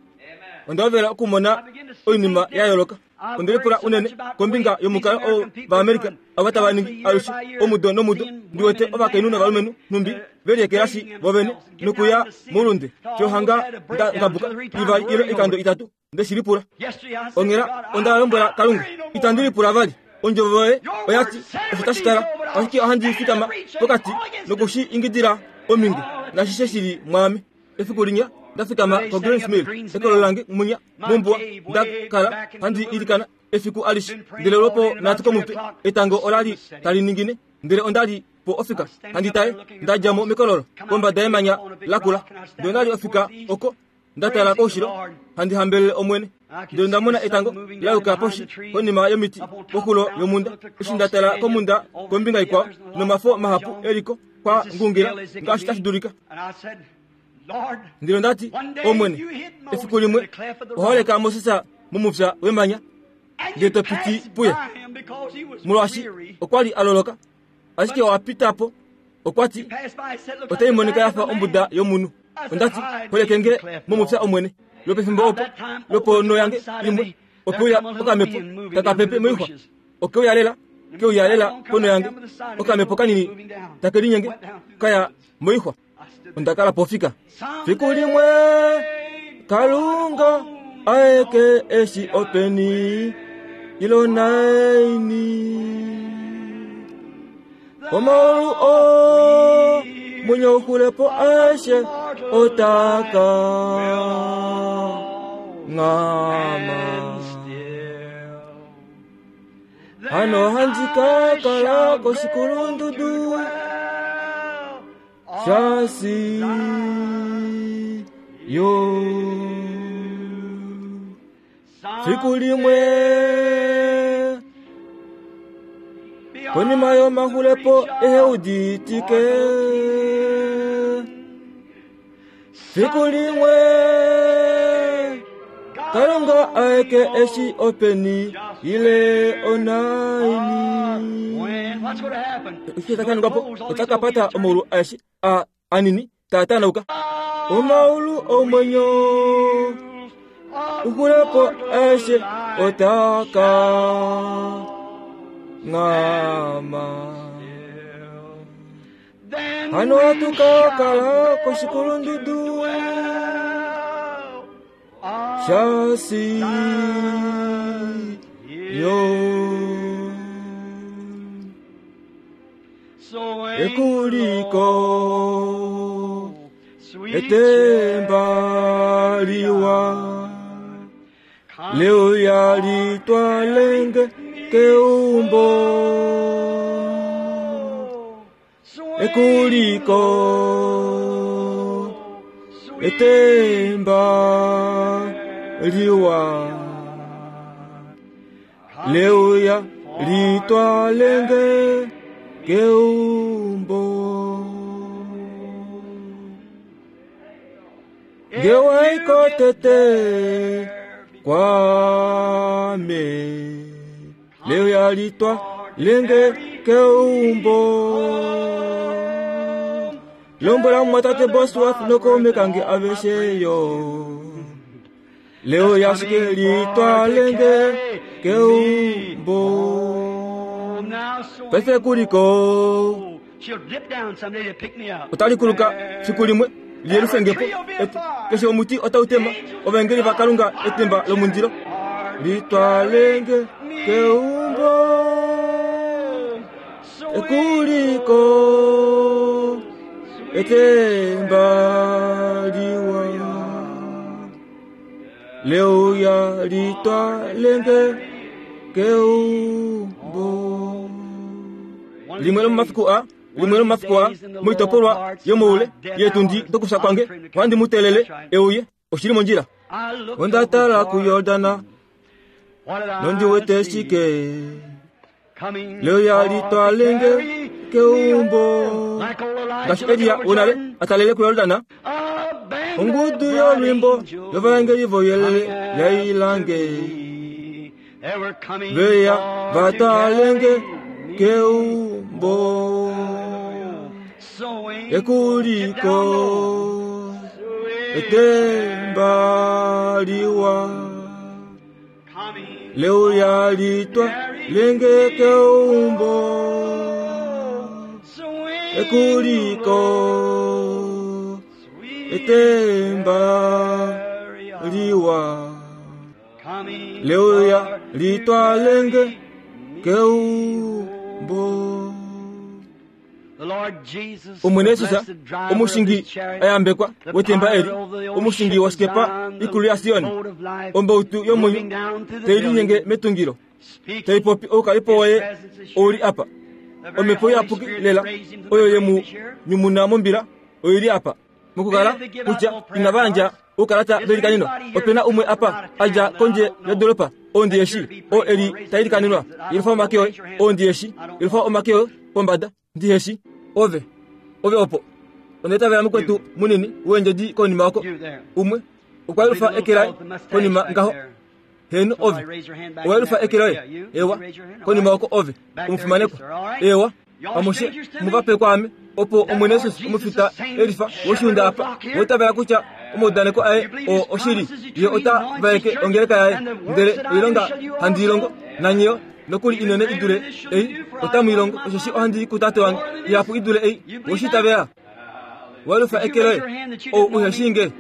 Onda hovela okumona I begin to see oinima things ya different. yooloka. I've Onde worried lipula so unene much about the way kombinga these yomukalo oo American people are vaAmerica doing. ava tava Constantly, ningi year alushe by year, omudo nomudo seeing ndi wete women and men ovakainhu out novalumenhu nhumbi veliekelashi degrading vovene themselves and getting out nokuya in the sea moulunde to almost fyohanga had a nda breakdown 2 ngabuka or 3 times ivali ile worrying ikando over it. itatu nde shi lipula. Yesterday I said to Onghela God, onda I'm lombwela not Kalunga worrying no itandi more. lipula vali ondjovo yoye Your oya word ti said it osho would tashi be kala so, but I'll ashike ohandi stand and fikama preach and pokati call against it. nokushi ingidila ominge Oh, it's nashishe shili mwaame. Efiku linya nda fikama Today, ko standing Greens up at Mill Greens ekolo Mill, lange munya my mombuwa cave nda way kala back into the handi wilderness. ilikana efiku alishe Been praying ndele all lwopo day and about nhatu 3 komutwe o'clock, etango the sun ola li was setting. tali ningine ndele onda li po I ofika was standing handi up there taye looking nda dja mo across, mekololo come out kombada the cave yemanya up on a big lakula rock, and I ndele stand onda li looking ofika towards the east. oko Nda tala koushilo, handi hambelele Omwene. Ndele onda mona etango la yuka poshi konima yomiti koxulo yomhunda. Eshi nda tala komhunda kombinga ikwao, nomafo mahapu e li ko kwa ngungila ngaashi tashi dulika. Ndele onda ti, Omwene, efiku limwe owa holeka Moses momupya wemanya, ndele to piti puye, molwaashi okwa li a loloka, ashike owa pita po. Okwa ti, Otai monika ya fa ombuda yomunhu. Onda ti, Holeke nge momupya, Omwene. Lwopefimbo opo, lwoponho yange imwe, ope uya okamhepo taka pepe moixwa. Oke uya lela, ke uya lela ponho yange, okamhepo kanini take linyenge ka ya moixwa. Onda kala pofika. Fiku limwe Kalunga aeke eshi openi ilo naini. Omaulu o mwenyo uxulepo aeshe otaka ngama. Hano handi ka kala koshikulundudu shasi yo. Fiku limwe konima yomaxulepo ehe uditike. Fiku limwe Kalunga aeke eshi openi ile onaini. Eshi taka ningwa po, otaka pata omaulu aeshe a anini taa tanauka. Omaulu omwenyo uxulepo aeshe otaka ngama. Hano hatu ka kala koshikulundudu shasi yo. Ekuliko etemba liwa leo yalitwalenge keumbo. Ekuliko etemba liwa leo yalitwalenge keumbo. Ngewaiko tete kwame leo yalitwa lenge keumbo. Lombwela mumwatate Bosworth nokaume kange aveshe yo. Leo yashike litwa lenge keumbo. Paife kuliko otali kuluka fiku limwe liyelufe po. Keshe omuti otau tema ovaengeli vaKalunga etemba lomundilo. Litwalenge keumbo. Ekuliko etemba liwa leo ya litwalenge keumbo. Limwe lomomafiku a limwe lomomafiku a moitopolwa yomoule yetundi dokufya kwange ohandi mu teelele euye oshili mondjila. Onda tala kuYordana nondi wete shike leo yalitwalenge keumbo. Ngaashi Elia wonale atalele kuYordana, ongudu yolwimbo yovaengeli voyelele yailange veya vatalenge keumbo. Ekuliko etemba liwa leo yalitwa lenge keumbo. Ekuliko etemba liwa leo yalitwa lenge keumbo. Omwene Jesus, omushingi ayambekwa wetemba eli, omushingi waskepa ikulu ya Sion, ombautu yomwenyo teilinyenge metungilo, teipopi oukalipo waye ouli apa. Omhepo iyapuki lela oyo ye mu nyumuna mombila oili apa. Mokukala kutya inava yandja oukalata veilikaneno. Ope na umwe apa a dja kondje yodolopa oo ndi eshi, oo e li ta ilikanenwa. Yelufa omake oye, oo ndi eshi. Yelufa omake oye pombada, ndi heshi. Ove, ove opo. Onda itavela mukwetu munini weendjedi konima oko. Umwe okwa yelufa eke laye konima ngaho. Heeno, ove. Owa yelufa eke loye? Ewa. Konima oko ove, omufimanekwa. Ewa. Amushe mu va pe kwaame, opo Omwene Jesus omufita elifa woshiunda apa, woitavela kutya omaudaneko aye oo oshili, ye ota vaeke ongeleka yaye, ndele oilonga handi i longo, nanye yo nokuli inene i dule ei otamu i longo, osheshi ohandi i kuTate wange. Ihapu i dule ei, we shi itavela? Walufa eke loye, ou uhe shii nge.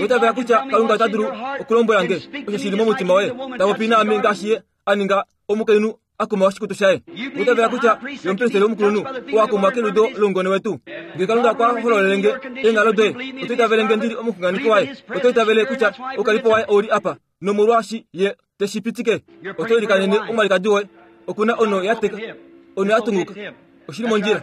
Oitavela kutya Kalunga ota dulu okulombwela nge osho shi li momutima woye, ta popi naame ngaashi ye a ninga omukainhu a kuma oshikutu shaye. Oitavela kutya ye omupristeli omukulunhu oo a kumwa keludo loungone wetu. Nge Kalunga okwa hololele nge eenghalo doye, oto itavele nge ndi li omuxunganeki waye? Oto itavele kutya oukalipo waye ou li apa, nomolwaashi ye te shi pitike? Oto ilikanene omwalikadi woye. Oku na ono ya teka, ono ya tunguka. Oshi li mondjila.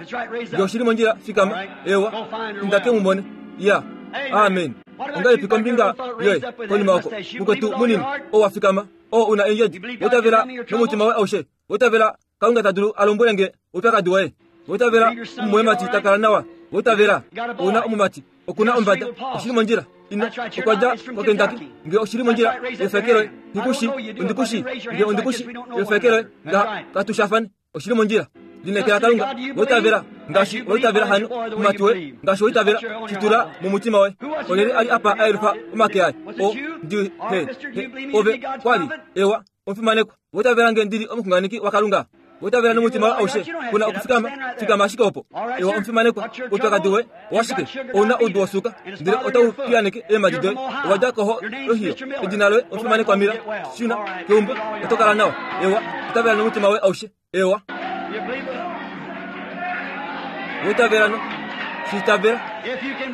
Nge oshi li mondjila, fikama. Ewa, inda ke mu mone. Ya. Amen. Ongahelipi kombinga yoye konima oko, mukwetu munini, oo wa fikama, oo u na eendjedi, woitavela nomutima woye aushe, woitavela Kalunga ta dulu a lombwele nge oupyakadi woye, woitavela omumwoyemati ta kala nawa, woitavela ou na omumati, oku na ombada, oshi li mondjila. Ina, okwa dja koKentucky. Nge oshi li mondjila, efeke loye, nghi ku shi, ondi ku shi, nge ondi ku shi, efeke loye, nga katu shafane. Oshi li mondjila. Lineekela Kalunga, woitavela, ngaashi woitavela hano, omumati woye, ngaashi woitavela, shi tula momutima woye. Olyelye a li apa a yelufa omake aye? O, ndi, he, he, ove, kwa li, ewa, omufimanekwa. Woitavela nge ndi li omuxunganeki waKalunga? Woitavela nomutima woye aushe? Ku na okufikama, fikama ashike opo. Ewa, omufimanekwa, oupyakadi woye owashike? Ou na oudu wosuuka, ndele otau piyaaneke eemhadi doye. Owa dja koHohio. Edina loye omufimanekwa Miller. Shuna keumbo, oto kala nawa. Ewa, itavela nomutima woye aushe. Ewa. Woitavela no. Shi itavela.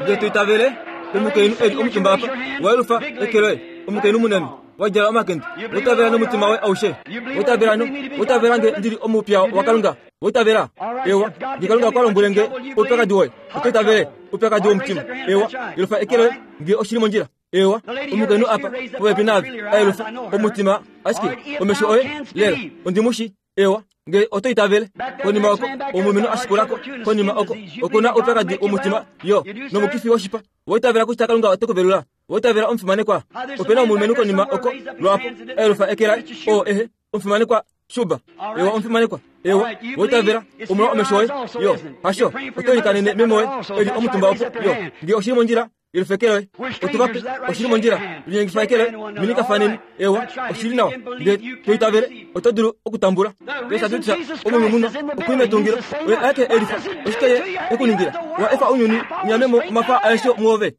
Nge to itavele, omukainhu e li omutumba apa, wa yelufa eke loye, omukainhu munene. Wa djala omakende. Woitavela nomutima woye aushe. Woitavela no. Woitavela nge ndi li omupya waKalunga. Woitavela. Ewa. Nge Kalunga okwa lombwele nge oupyakadi woye, oto itavele oupyakadi womutima. Ewa. Yelufa eke loye nge oshi li mondjila. Ewa. Omukainhu apa, popepi naave, a yelufa omutima, ashike omesho oye, lela, ondi mu shi. Ewa, nge oto itavele. Konima oko, omulumenhu a shikula ko, konima oko, oku na oupyakadi womutima, yo, nomukifi woshipa. Woitavela kutya Kalunga ote ku velula? Woitavela omufimanekwa? Ope na omulumenhu konima oko, lwaapo, a yelufa eke laye, oo ehe, omufimanekwa Shuba. Ewa, omufimanekwa. Ewa, woitavela, omolwa omesho oye, yo, hasho, oto ilikanene meme woye, e li omutumba opo, yo, nge oshi li mondjila, yelufa eke loye, otu va pe, oshi li mondjila, linyengifa eke loye, minikafaneni, ewa, oshi li nawa, nge to itavele, oto dulu okutambula. Jesus Kristus omunyumunwa okuli metungilo, oye aeke e lifa. Oshike ye e ku ningila? Owa efa ounyuni u nyame mo omafa aeshe muove.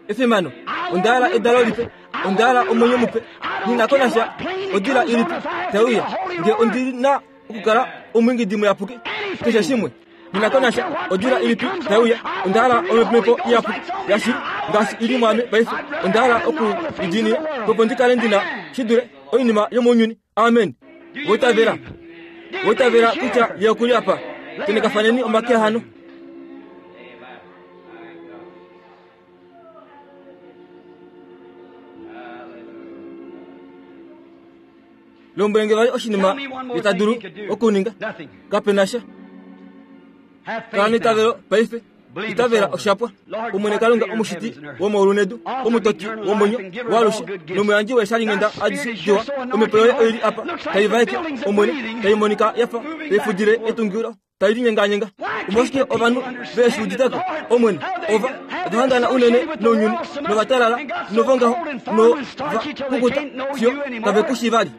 Efimano! Onda hala edalo lipe. Onda hala omwenyo mupe. Nghi na ko nasha odila ilipi tai uya, nge ondi na okukala omwiingidi muyapuki, keshe shimwe. Nghi na ko nasha odila ilipi tai uya, onda hala omhepo iyapuki yashili ngaashi i li mwaame paife. Onda hala oku i diinina, opo ndi kale ndi na shi dule oinima yomounyuni. Amen. Woitavela. Woitavela kutya ye oku li apa. Tenekafaneni omake hano. Lombwele nge vali oshinima ye ta dulu okuninga. Kape na sha. Kala neitavelo paife. Itavela oshapwa. Omwene Kalunga omushiti womaulu nedu, omutoti womwenyo waalushe nomuyandji weeshalinghenda adishe diwa, omhepo yoye oi li apa tai vaeke, Omwene, tai monika ya fa tai fudile etungilo tai linyenganyenga. Omolwashike ovanhu ve shi udite ko, Omwene? Ova ova hangana unene nounyuni, nova talala, novongaho, nova kukuta, fiyo kave ku shii vali.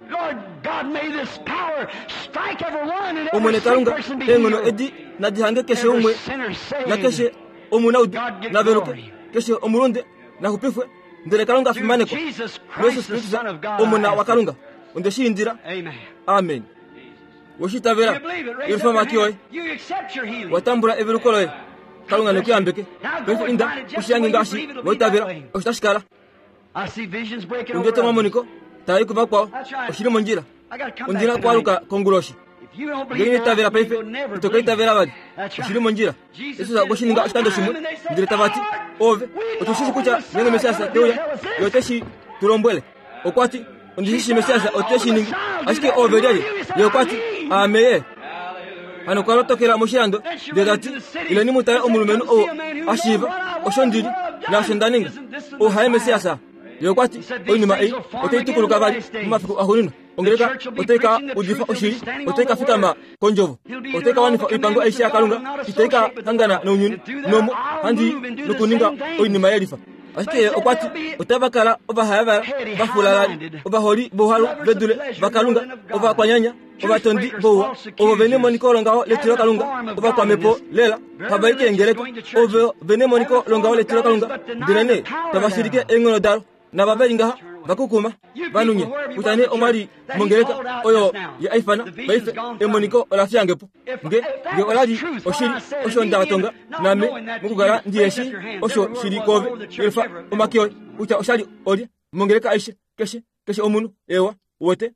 Omwene Kalunga, eenghono edi nadi hange keshe umwe nakeshe omunaudu na veluke, keshe omulunde na xupifwe, ndele Kalunga a fimanekwa. Jesus Kristus, Omona waKalunga, onde shi indila. Amen. We shi itavela? Yelufa omake oye. Wa tambula eveluko loye. Kalunga ne ku yambeke. Paife inda, u shi yange ngaashi wa itavela, osho tashi kala. Ondi wete omamoniko taa i kuvakwao. Oshi li mondjila. Ondi na okwaluka konguloshi. Ngenge ino itavela paife, ito ka itavela vali. Oshi li mondjila. Jesus okwe shi ninga oshikando shimwe, ndele tava ti, Ove, otu shi shi kutya ngeenge Messias te uya, Ye ote shi tu lombwele. Okwa ti, Ondi shi shi Messias ote shi ningi, ashike ove lyelye? Ye okwa ti, Aame Ye. Hano okwa lotokela moshilando, ndele ta ti, Ileni mu tale omulumenhu ou a shiiva osho ndi li naasho nda ninga. Ou haye Messias? Ye okwa ti, Oinima ei otai tukuluka vali momafiku axuuninwa. Ongeleka otai ka udifa oshili, otai ka fikama kondjovo, otai ka wanifa oipango aishe yaKalunga, itai ka hangana nounyuni, nomo handi nokuninga oinima yelifa. Ashike ye okwa ti, otava kala ovahayavala, vafulalali, ovaholi vouhalu ve dule vaKalunga, ovakwanyanya, ovatondi vouwa, ovo ve nemoniko longaho letilokalunga, ovakwamhepo lela, hava i keengeleka, ovo ve nemoniko longaho letilokalunga, ndelenee tava shilike eenghono dalo. Nava ve li ngaha va kukuma vanunye kutya nee omwa li mongeleka oyo ye a ifana paife emoniko ola fiyange po nge nge ola li oshili osho nda tonga naame mokukala ndi yeshi osho shi li koove yelifa omake oye kutya osha li olye mongeleka aishe keshe keshe omunhu ewa uwete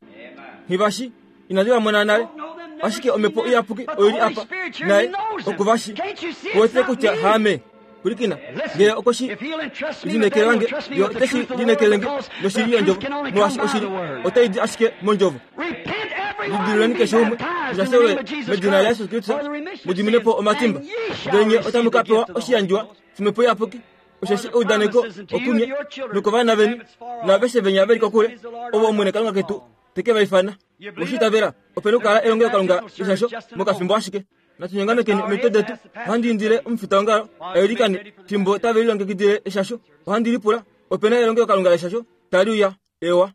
nghivashi inandi va mona nale ashike omhepo iyapuki oi li apa naye oku va shi kuwete kutya haame pwilikina ngee okwe shi lineekela nge yo ote shi lineekele nge noshili yondjovo molwaashi oshili otai di ashike mondjovo lidiluleni keshe umwe mushashelwe medina layesus kristus mu dimine po omatimba ndele nye otamu ka pewa oshiyandjiwa shomhepo iyapuki osheshi eudaneko okunye nokovana veni naaveshe venya ve li kokule ovo Omwene Kalunga ketu te ke va ifana. Oshi itavela, ope na okukala elongelokalunga leshasho mokafimbo ashike. Natu nyongamekeni omitwe detu. Ohandi indile omufitaongalo a ilikane fimbo tave lilongekidile eshasho. Ohandi lipula, ope na elongelokalunga leshasho tali uya? Eewa.